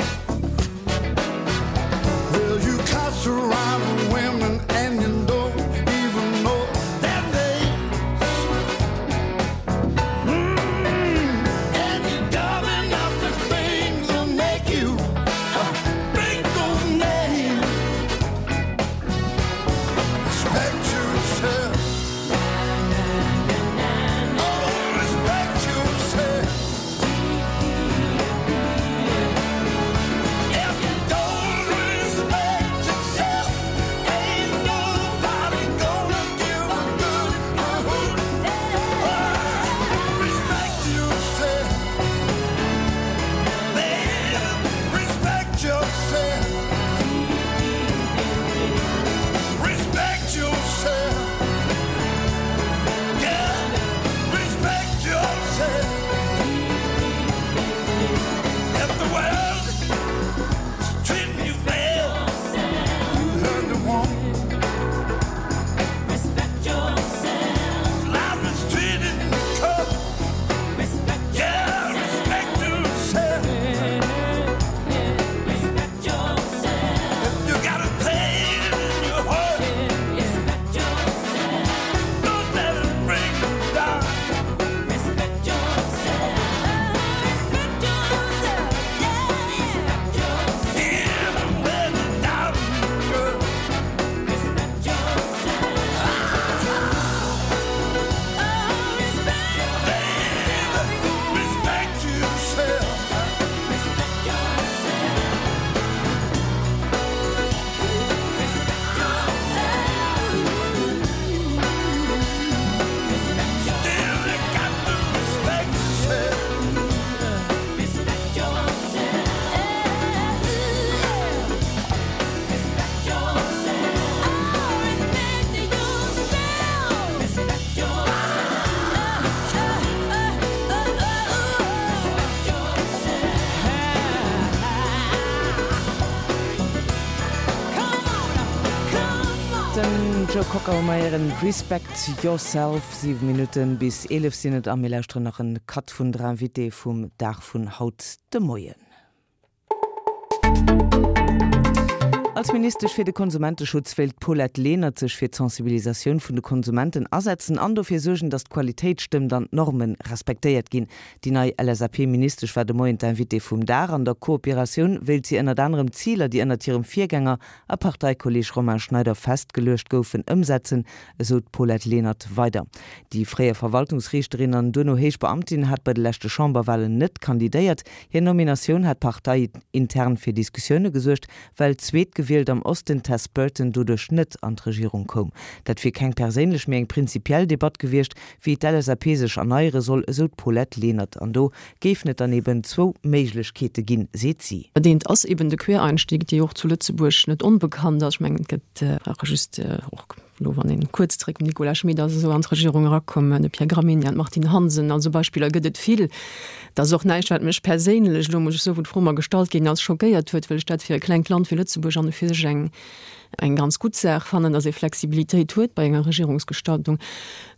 Well, you cuss around women and you don't even know their names. Mm. And you're dumb enough to think they'll make you uh, break those names. Den Joe Cocker hu mer héieren, Respect Yourself. 7 Minutten bis 11 sinn et a mir lauschteren nach en Cut vun der Invitée vum Dag vun haut de Moien. Als Ministesch fir de Konsumenteschutz wéilt d'Paulette Lenert sech fir d'Sensibilisatioun vun de Konsumenten asetzen an dofir suergen, datt d'Qualitéit stëmmt an d'Norme respektéiert ginn. Déi nei LSAP-Ministesch war de Moien d'Invitée vum Dag. An der Kooperatioun wéilt si ënnert anerem d'Ziler, déi ënnert hirem Virgänger a Parteikolleeg Romain Schneider festgeluecht goufen, ëmsetzen, esou d'Paulette Lenert weider. Déi fréier Verwaltungsriichterin an duerno héich Beamtin hat bei de leschte Chamberwalen net kandidéiert. Hir Nominatioun hat parteiintern fir Diskussioune gesuergt, well d'Zweetgewielt am Osten, Tess Burton, doduerch net an d'Regierung koum. Dat wier keng perséinlech, mee eng prinzipiell Debatt gewiescht, wéi d'LSAP sech erneiere soll, esou d'Paulette Lenert. An do géifen et dann eben zwou Méiglechkeete ginn, seet si. Dat eent ass eben de Quereinstieg, dee och zu Lëtzebuerg net onbekannt ass. Ech mengen, et gëtt brauch e just och elo, wann een kuerz zeréck, Nicolas Schmit ass esou an d'Regierung erakomm, de Pierre Gramegna, d'Martine Hansen, also Beispiller gëtt et vill. Dat ass och näischt, wat mech perséinlech elo, muss ech soen, wou d'Fro mer gestallt ginn ass, schockéiert huet, well ech dat fir e klengt Land wéi Lëtzebuerg an u fir sech eng eng ganz gutt Saach fannen, dass ee Flexibilitéit huet bei enger Regierungsgestaltung.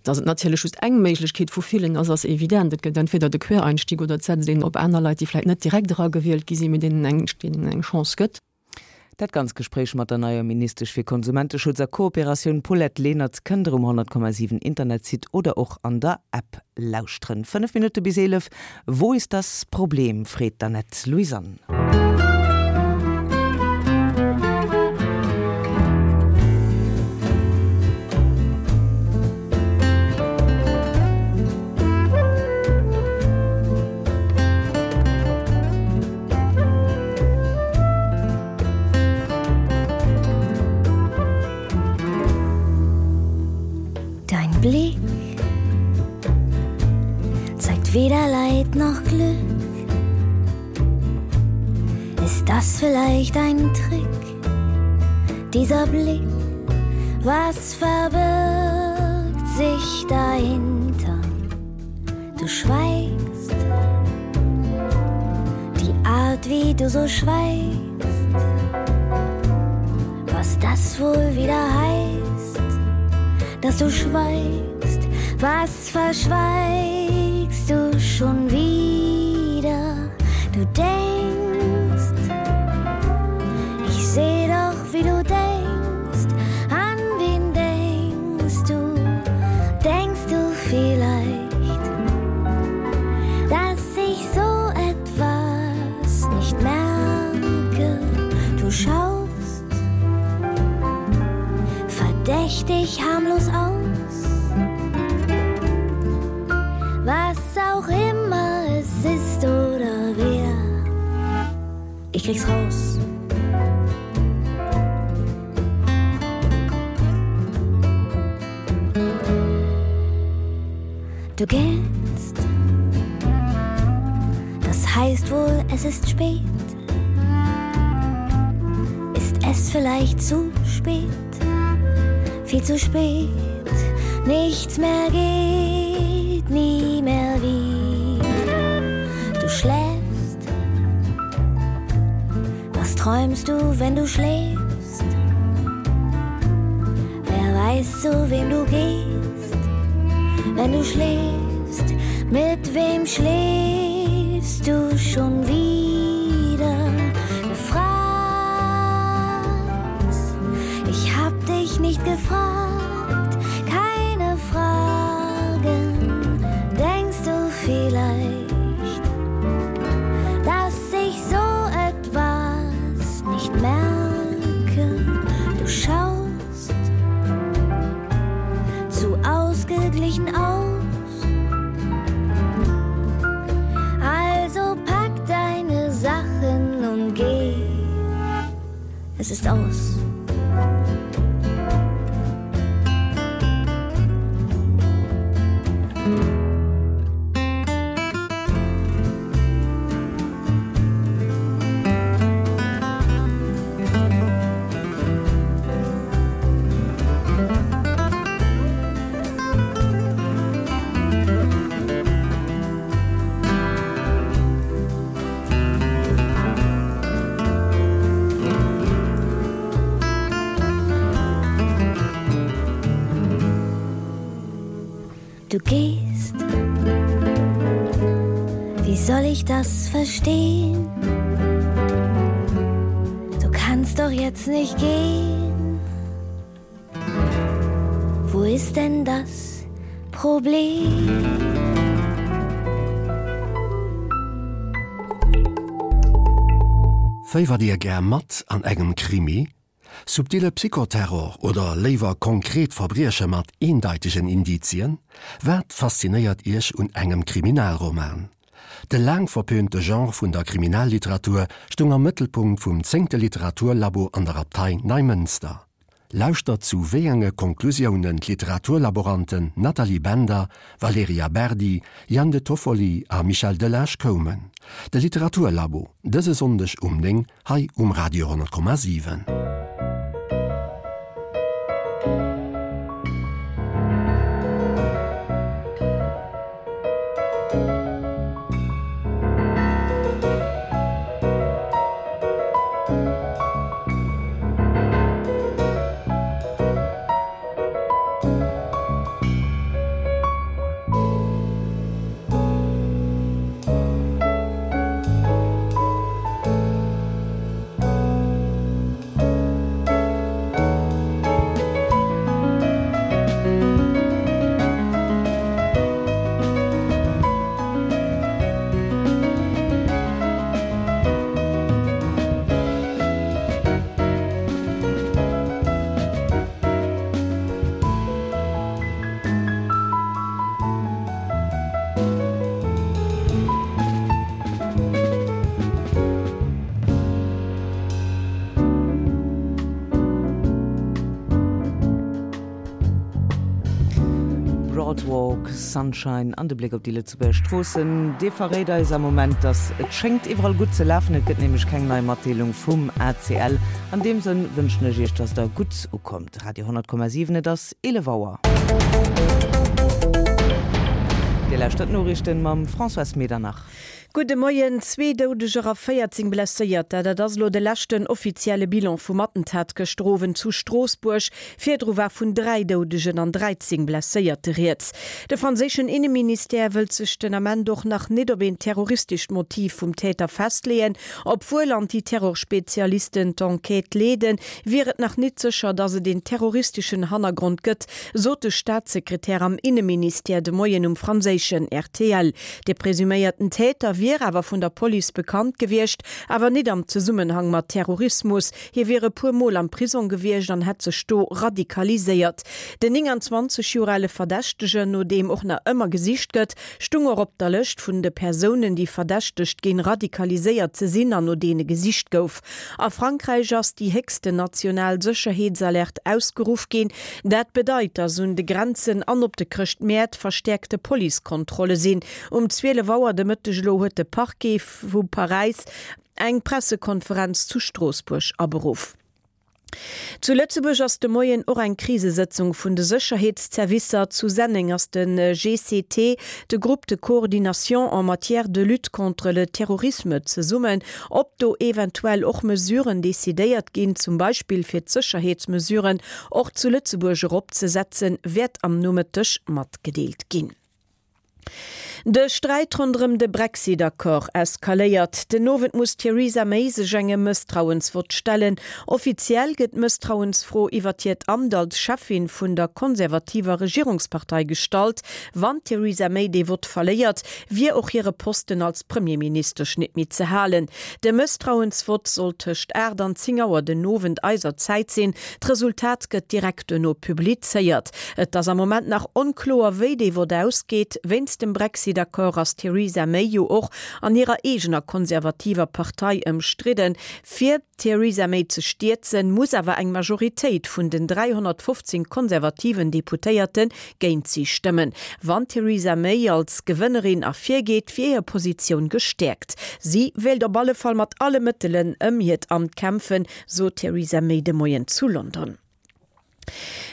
Dass et natierlech just eng Méiglechkeet vu villen ass, ass evident. Et gëtt entweder de Quereinstieg oder et setzt een op aner Leit, déi vläicht net direkt eragewielt gi sinn, mee deenen eng, deenen een eng Chance gëtt. Dat ganz Gespréich mat der neier Ministesch fir Konsumenteschutz a Kooperatioun Paulette Lenert kënnt der um 100,7 Internetsite oder och an der App lauschteren. 5 Minutte bis 11, Wo ist das Problem? freet d'Annette Louisanne. Dein Blick zeigt weder Leid noch Glück. Ist das vielleicht ein Trick? Dieser Blick, was verbirgt sich dahinter? Du schweigst, die Art, wie du so schweigst, was das wohl wieder heißt, dass du schweigst, was verschweigst du schon wieder? Du denkst, ich seh doch, wie du denkst, an wen denkst du, denkst du vielleicht, dass ich so etwas nicht merke? Du schaust verdächtig harmlos aus. Was auch immer es ist oder wer, ich krieg's raus. Du gehst. Das heißt wohl, es ist spät. Ist es vielleicht zu spät? Viel zu spät. Nichts mehr geht, nie mehr wieder. Du schläfst. Was träumst du, wenn du schläfst? Wer weiß, zu wem du gehst, wenn du schläfst? Mit wem schläfst du schon wieder? Gefragt, ich hab dich nicht gefragt, keine Fragen. Denkst du vielleicht, dass ich so etwas nicht merke? Du schaust zu ausgeglichen aus. Also pack deine Sachen und geh. Es ist aus. Du gehst. Wie soll ich das verstehen? Du kannst doch jetzt nicht gehen. Wo ist denn das Problem? Féiwert Dir gär mat an engem Krimi? Subtile Psychoterror oder léiwer konkret Verbrieche mat eendeitegen Indizien? Wat faszinéiert Iech un engem Kriminalroman? De laang verpönte Genre vun der Kriminalliteratur stoung am Mëttelpunkt vum zéngte Literaturlabo an der Abtei Neimënster. Lauschtert zu wéi enge Konklusiounen d'Literaturlaboranten Nathalie Bender, Valerija Berdi, Yann De Toffoli a Michel Delage koumen. De Literaturlabo, dëse Sonndeg um 9 hei um Radio 10,7. Broadwalk, Sunshine an de Bléck op déi Lëtzebuerger Stroossen, dee verréit eis am Moment, dass et schéngt iwwerall gutt ze lafen. Et gëtt nämlech keng nei Matdeelung vum ACL. An deem Sënn wënschen ech Iech, dass der gutt ukommt. Radio 10,7, et ass 11 Auer. Dir lauschtert d'Noriichten mam Françoise Medernach. Gudde Moien. Zwee Doudeger a 14 Blesséierter, dat ass elo de leschten offizielle Bilan vum Attentat gëschter Owend zu Stroossbuerg. Virdru war vun 3 Doudegen an 13 Blesséierte rieds. De franséischen Inneministère wëllt sech den Ament och nach nit op een terroristescht Motiv vum Täter festleeën. Obwuel Anti-Terror-Spezialisten d'Enquête leeden, wier et nach nit sécher, datt et een terroristeschen Hannergrond gëtt, sot de Staatssekretär am Inneministère de Moien um franséischen rtl. De presuméierten Täter wier awer vun der Police bekannt gewiescht, awer nit am Zesummenhang mat Terrorismus. Hie wier e puer Mol am Prisong gewiescht an hätt sech do radikaliséiert. Den 29 Joer ale Verdächtegen, no deem och nach ëmmer gesicht gëtt, stung och op der Lëscht vun de Persounen, déi verdächtegt ginn, radikaliséiert ze sinn an no deene gesicht gouf. A Frankräich ass déi héchsten national Sécherheetsalerte ausgeruff ginn. Dat bedeit, datt un de Grenzen an op de Chrëschtmäert verstäerkte Policekontrolle sinn. Um 12 Auer de Mëtteg elo huet de Parquet vu Paräis eng Pressekonferenz zu Stroossbuerg aberuff. Zu Lëtzebuerg ass de Moien och eng Krisesëtzung vun de Sécherheetszervicer. Zu Senneng ass de GCT, de Groupe de coordination en matière de lutte contre le terrorisme, zesummen. Ob do eventuell och Mesuren decidéiert ginn, zum Beispill fir d'Sécherheetsmesuren och zu Lëtzebuerg eropzesetzen, wäert am Nomëtteg matgedeelt ginn. De Sträit ronderëm de Brexit-Accord eskaléiert. Den Owend muss d'Theresa May sech engem Mësstrauensvott stellen. Offiziell gëtt d'Mësstrauensfro iwwert hiert Amt als Cheffin vun der konservativer Regierungspartei gestallt. Wann d'Theresa May dee Vott verléiert, wier och hire Posten als Premierministesch nit méi ze halen. De Mësstrauensvott soll tëscht 8 an 10 Auer den Owend eiser Zäit sinn. D'Resultat gëtt direkt duerno publizéiert. Et ass am Moment nach onkloer, wéi dee Vott ausgeet. Wéinst dem Brexit-Accord ass d'Theresa May jo och an hirer eegener konservativer Partei ëmstridden. Fir d'Theresa May ze stierzen, muss awer eng Majoritéit vun den 315 konservativen Deputéierte géint si stëmmen. Wann d'Theresa May als Gewënnerin ervirgeet, wier hir Positioun gestäerkt. Si wéilt op alle Fall mat alle Mëttelen ëm hiert Amt kämpfen, sot d'Theresa May de Moien zu London.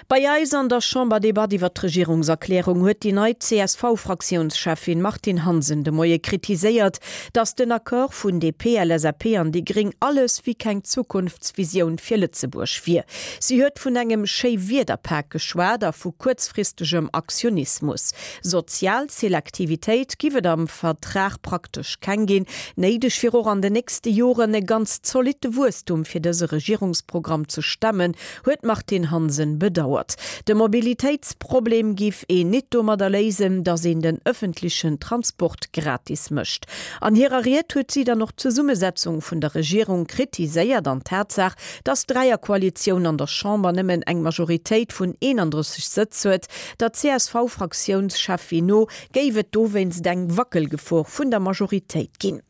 Bei eis an der Chamberdebatt iwwer d'Regierungserklärung huet déi nei CSV-Fraktiounscheffin Martine Hansen de Moie kritiséiert, datt den Accord vun DP, LSAP an déi Gréng alles wéi keng Zukunftsvisioun fir Lëtzebuerg wier. Si huet vun engem Schéiwiederpak geschwat a vu kuerzfristegem Aktionismus. Sozial Selektivitéit giff et am Vertrag praktesch keng ginn. Néideg wier och an den nächste Joren e ganz zolitte Wuesstum fir dëse Regierungsprogramm ze stemmen, huet d'Martine Hansen bedauert. De Mobilitéitsproblem giff een nit domadder léisen, datt een den ëffentlechen Transport gratis mécht. An hirer Ried huet si dann och d'Zesummesetzung vun der Regierung kritiséiert an d'Tatsaach, datt d'Dräierkoalitioun an der Chamber nëmmen eng Majoritéit vun 31 Sëtz huet. Der CSV-Fraktiounscheffin no géif et dowéinst eng Wackelgefor vun der Majoritéit ginn.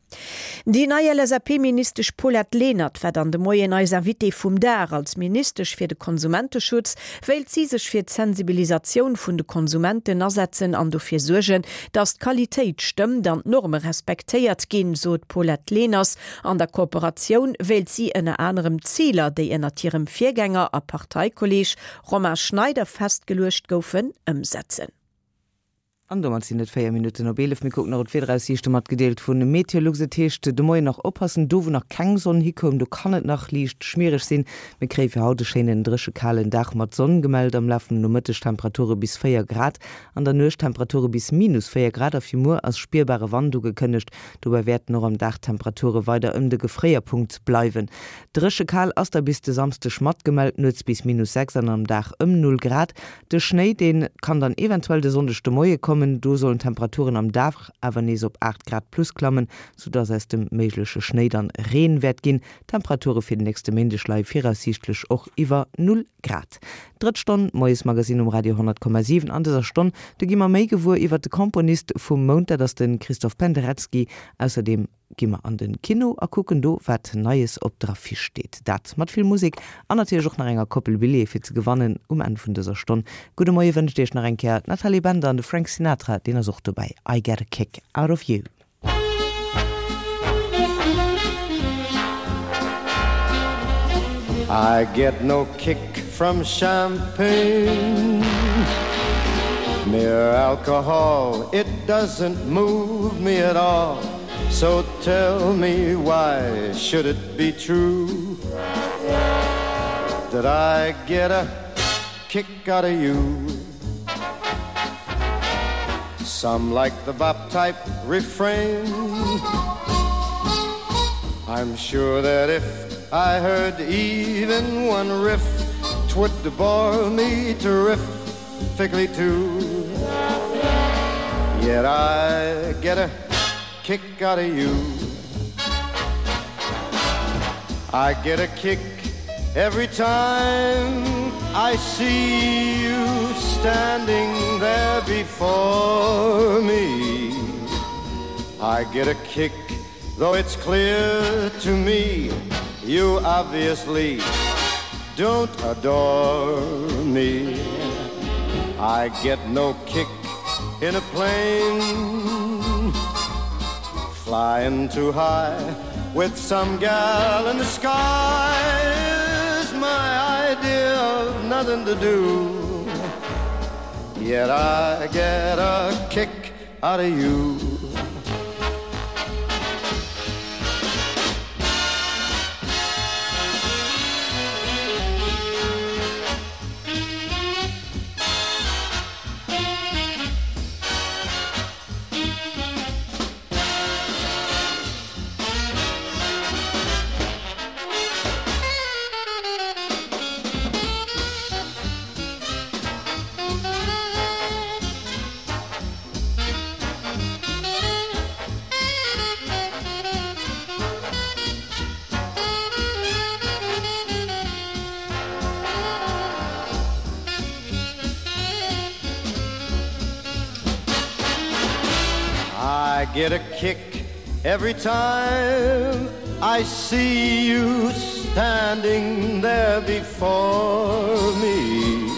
Déi nei LSAP-Ministesch Paulette Lenert war dann de Moien eis Invitée vum Dag. Als Ministesch fir de Konsumenteschutz wéilt si sech fir d'Sensibilisatioun vun de Konsumenten asetzen an dofir suergen, datt d'Qualitéit stëmmt an d'Norme respektéiert ginn, sot d'Paulette Leners. An der Kooperatioun wéilt si ënner anerem d'Ziler, déi ënnert hirem Virgänger a Parteikolleeg Romain Schneider festgeluecht goufen, ëmsetzen. An domat sinn et 4 Minutten op 11. Mir kucken nach op d'Wiederaussiichte matgedeelt vun Meteolux. Et heescht de Moien nach oppassen, do wou nach keng Sonn hikoum, do kann et nach liicht schmiereg sinn. Mir kréie fir haut e schéinen dréche kalen Dag mat Sonn gemellt. Am Laf vum Nomëtteg Temperature bis 4 Grad, an der Nuecht Temperature bis minus 4 Grad a fir muer ass spierbare Wand ugekënnegt. Dobäi wäerten och am Dag d'Temperature weider ëm de Gefréierpunkt bleiwen. Dréche kal ass da bis de Samsdeg matgemellt, nuets bis minus 6 an am Dag ëm 0 Grad. De Schnéi, deen kann dann eventuell de Sonndeg de Moie kommen. Do sollen d'Temperaturen am Dag awer nees op 8 Grad plus klammen, soudass aus dem méigleche Schnéi dann Reen wäert ginn. D'Temperature fir den nächste Méindeg leie viraussiichtlech och iwwer Null Grad. Drëtt Stonn Moiesmagazin um Radio 10,7. An dëser Stonn, do gi mer méi gewuer iwwert de Komponist vum Mount, dat ass de Christoph Penderecki. Ausserdeem gi mer an den Kino a kucken do wat Neies op der Affiche steet. Dat mat vill Musek an natierlech och nach enger Koppel Billjeeë fir ze gewannen um Enn vun dëser Stonn. Gudde Moie wënscht iech nach eng Kéier d'Nathalie Bender an de Frank Sinatra, deen ass och dobäi. I get a kick out of you. I get no kick from champagne Mere alcohol, it doesn't move me at all So tell me why should it be true That I get a kick out of you Some like the bop type refrain I'm sure that if I heard even one riff Twould bore me terrifically too Yet I get a kick out of you I get a kick every time I see you standing there before me I get a kick though it's clear to me you obviously don't adore me I get no kick in a plane flying too high with some gal in the sky is my idea of nothing to do yet I get a kick out of you I get a kick every time I see you standing there before me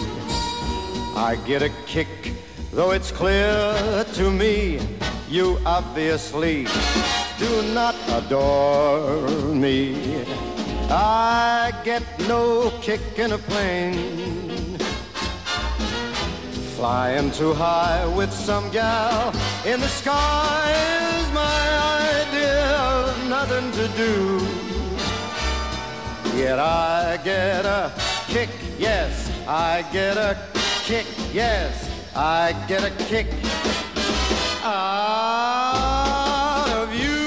I get a kick though it's clear to me you obviously do not adore me I get no kick in a plane. Flying too high with some gal in the sky is my idea of nothing to do. Yet I get a kick, yes, I get a kick, yes, I get a kick out of you.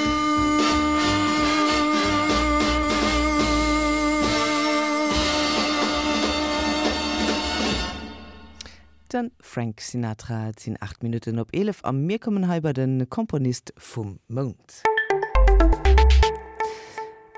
De Frank Sinatra. Et sinn 8 Minutten op 11 a mir kommen hei bei de Komponist vum Mount.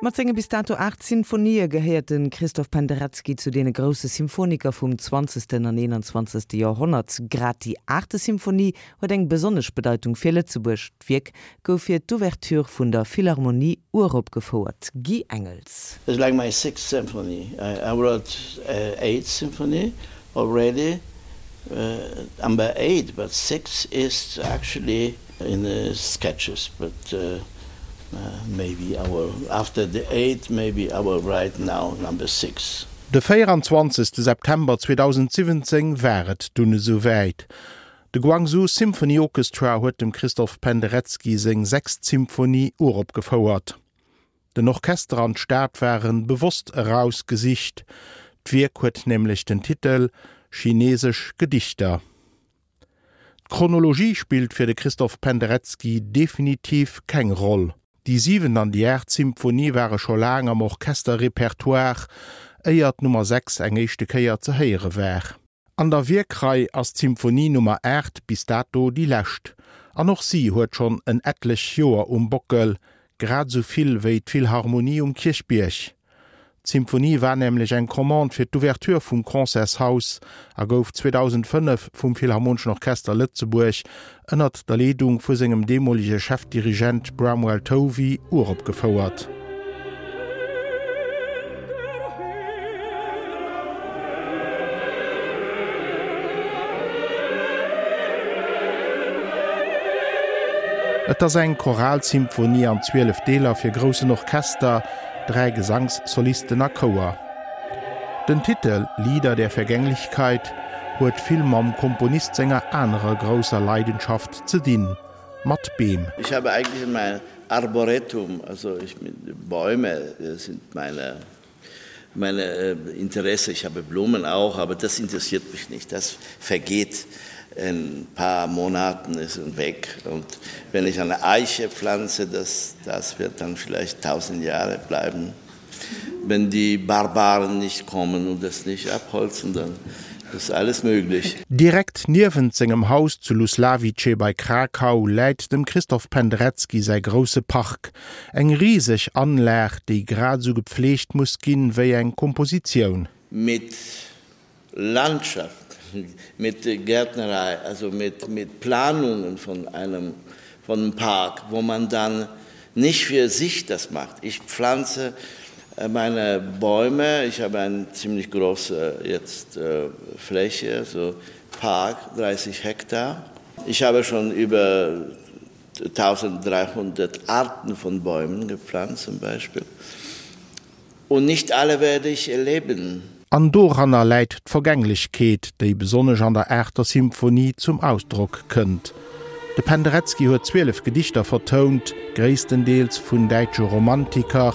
Mat senge bis dato 8 Sinfonië gehéiert de Christoph Penderecki zu deene grousse Symphoniker vum zwanzegsten an eenanzwanzegste Joerhonnert. Grad déi aachte Symphonie huet eng besonnesch Bedeitung fir Lëtzebuerg. D'Wierk gouf fir d'Ouverture vun der Philharmonie uropgefouert. Guy Engels. It's like my sixth symphony. I wrote eight symphony already number 8 but 6 is actually in the sketches but uh, maybe I will after the 8 maybe I will write now number 6. De 24 September 2017 war et dunn esou wäit. De Guangzhou Symphony Orchestra huet dem Christoph Penderecki seng sechst Symphonie uropgefouert. Den Orchester an d'Stad waren bewosst eraus gesicht, d'Wierk huet nämlech den Titel Chinesesch Gedichter. D'Chronologie spillt fir de Christoph Penderecki definitiv keng Roll. Déi siwent an déi aacht Symphonie ware scho laang am Orchesterrepertoire, éier d'Nummer 6 eng éischte Kéier ze héiere war. An der Wierkrei ass d'Symphonie Nummer 8 bis dato déi lescht, an och si huet schonn en etlech Joer um Bockel, grad esou vill wéi d'Philharmonie um Kierchbierg. D'Symphonie war nämlech eng Commande fir d'Ouverture vum Concertshaus a gouf 2005 vum Philharmoneschen Orchester Lëtzebuerg ënnert der Leedung vu sengem deemolege Chefdirigent Bramwell Tovey uropgefouert. Et ass eng Choralsymphonie an 12 Deeler fir groussen Orchester, 3 Gesankssolisten a Chouer. Den Titel Lieder der Vergänglichkeit huet vill mam Komponist senger anerer grousser Leidenschaft ze dinn, mat Beem. Ich habe eigentlich mein Arboretum, also ich, Bäume sind meine, meine äh, Interesse. Ich habe Blumen auch, aber das interessiert mich nicht. Das vergeht in ein paar Monaten ist weg. Und wenn ich eine Eiche pflanze, das, das wird dann vielleicht tausend Jahre bleiben. Wenn die Barbaren nicht kommen und das nicht abholzen, dann ist alles möglich. Direkt niewent sengem Haus zu Luslawice bei Krakau läit dem Christoph Penderecki säi grousse Park, eng riseg Anlag, déi grad esou gepfleegt muss ginn, wéi eng Kompositioun. Mit Landschaft, mit Gärtnerei, also mit, mit Planungen von einem von einem Park, wo man dann nicht für sich das macht. Ich pflanze äh, meine Bäume, ich habe eine ziemlich große jetzt äh, Fläche, so Park 30 Hektar. Ich habe schon über 1300 Arten von Bäumen gepflanzt zum Beispiel. Und nicht alle werde ich erleben. An doranner läit d'Vergänglechkeet, déi besonnesch an der aachter Symphonie zum Ausdrock kënnt. De Penderecki huet 12 Gedichter vertount, gréisstendeels vun däitsche Romantiker,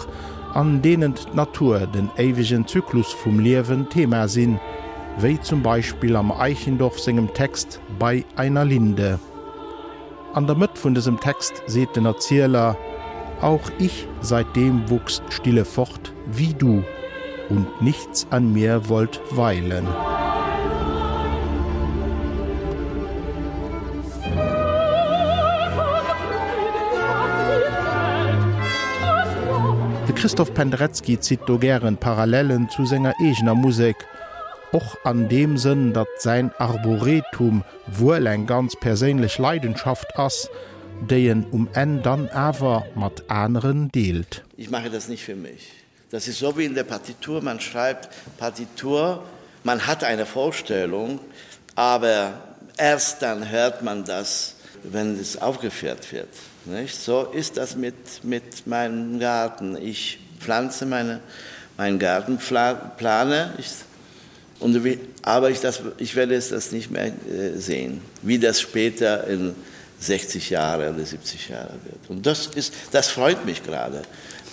an deenen d'Natur, den éiwegen Zyklus vum Liewen Thema sinn, wéi zum Beispill am Eichendorff sengem Text Bei einer Linde. An der Mëtt vun dësem Text seet den Erzieler, Auch ich seitdem wuchs stille fort wie du, und nichts an mir wollt weilen. De Christoph Penderecki zitt do gären Parallellen zu senger eegener Musek, och an deem Sënn, datt säin Arboretum wuel eng ganz perséinlech Leidenschaft ass, déi en um Enn dann awer mat aneren deelt. Ich mache das nicht für mich. Das ist so wie in der Partitur, man schreibt Partitur, man hat eine Vorstellung, aber erst dann hört man das, wenn es aufgeführt wird. Nicht? So ist das mit, mit meinem Garten. Ich pflanze meine, meinen Garten, plane ich. Und wie, aber ich, das, ich werde es das nicht mehr äh, sehen, wie das später in 60 Jahre oder 70 Jahre wird. Und das, ist, das freut mich gerade.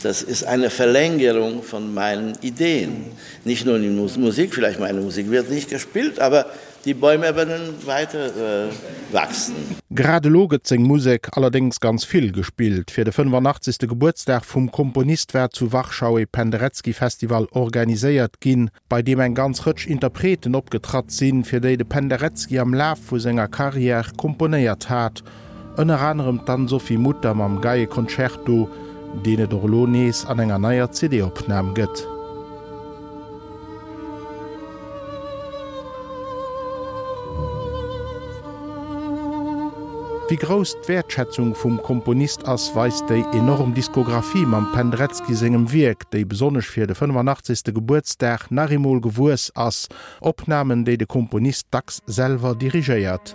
Das ist eine Verlängerung von meinen Ideen. Nicht nur in Musik, vielleicht meine Musik wird nicht gespielt, aber die Bäume werden weiter äh, wachsen. Grad elo gëtt seng Musek allerdéngs ganz vill gespillt. Fir de 85. Gebuertsdag vum Komponist war zu Warschau ee Penderecki-Festival organiséiert ginn, bei deem eng ganz Rëtsch Interpreten opgetratt sinn, fir déi de Penderecki am Laf vu senger Karriär komponéiert hat, ënner anerem d'Anne-Sophie Mutter mam Geieconcerto, deen et och elo nees an enger neier CD-Opnam gëtt. Wéi grouss d'Wäertschätzung vum Komponist ass, weist déi enorm Diskographie mam Penderecki sengem Wierk, déi besonnesch fir de 85. Gebuertsdag nach eemol gewuess ass, Opnamen, déi de Komponist dacks selwer dirigéiert.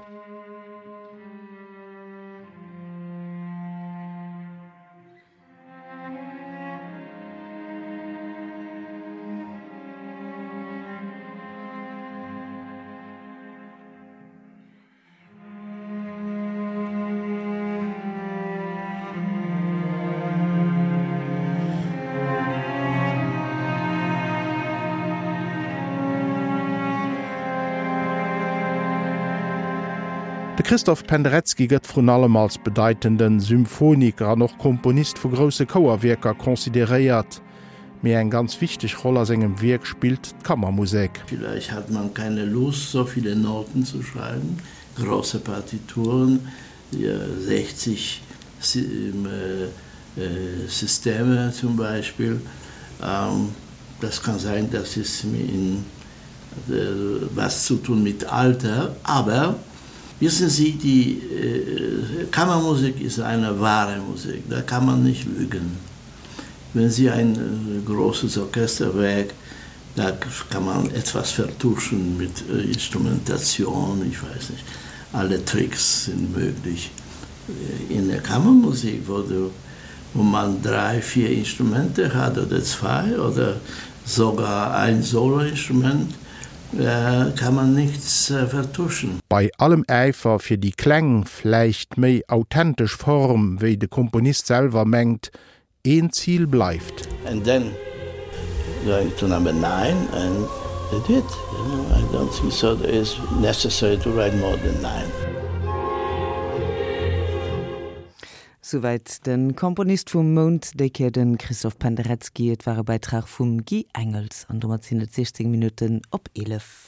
De Christoph Penderecki gëtt vrun allem als bedeitende Symphoniker an och Komponist vu grousse Chouerwierker consideréiert. Mee eng ganz wichteg Roll a sengem Wierk spillt d'Kammermusek. Vielleicht hat man keine Lust, so viele Noten zu schreiben, große Partituren, 60 Systeme zum Beispiel. Das kann sein, dass es in was zu tun mit Alter, aber wissen Sie, die Kammermusik ist eine wahre Musik, da kann man nicht lügen. Wenn Sie ein großes Orchesterwerk, da kann man etwas vertuschen mit Instrumentation, ich weiß nicht, alle Tricks sind möglich. In der Kammermusik, wo, du, wo man drei, vier Instrumente hat oder zwei oder sogar ein Soloinstrument, kann man nichts vertuschen. Bei allem Äifer fir déi kleng, vläicht méi authentesch Form, wéi de Komponist selwer mengt, een Zil bleift. And then going to number nine and they did. You know, I don't think so there is necessary to write more than nine. Souwäit de Komponist vum Mount, déi Kéier de Christoph Penderecki. Et war e Bäitrag vum Guy Engels. An domat sinn et 16 Minutten op 11.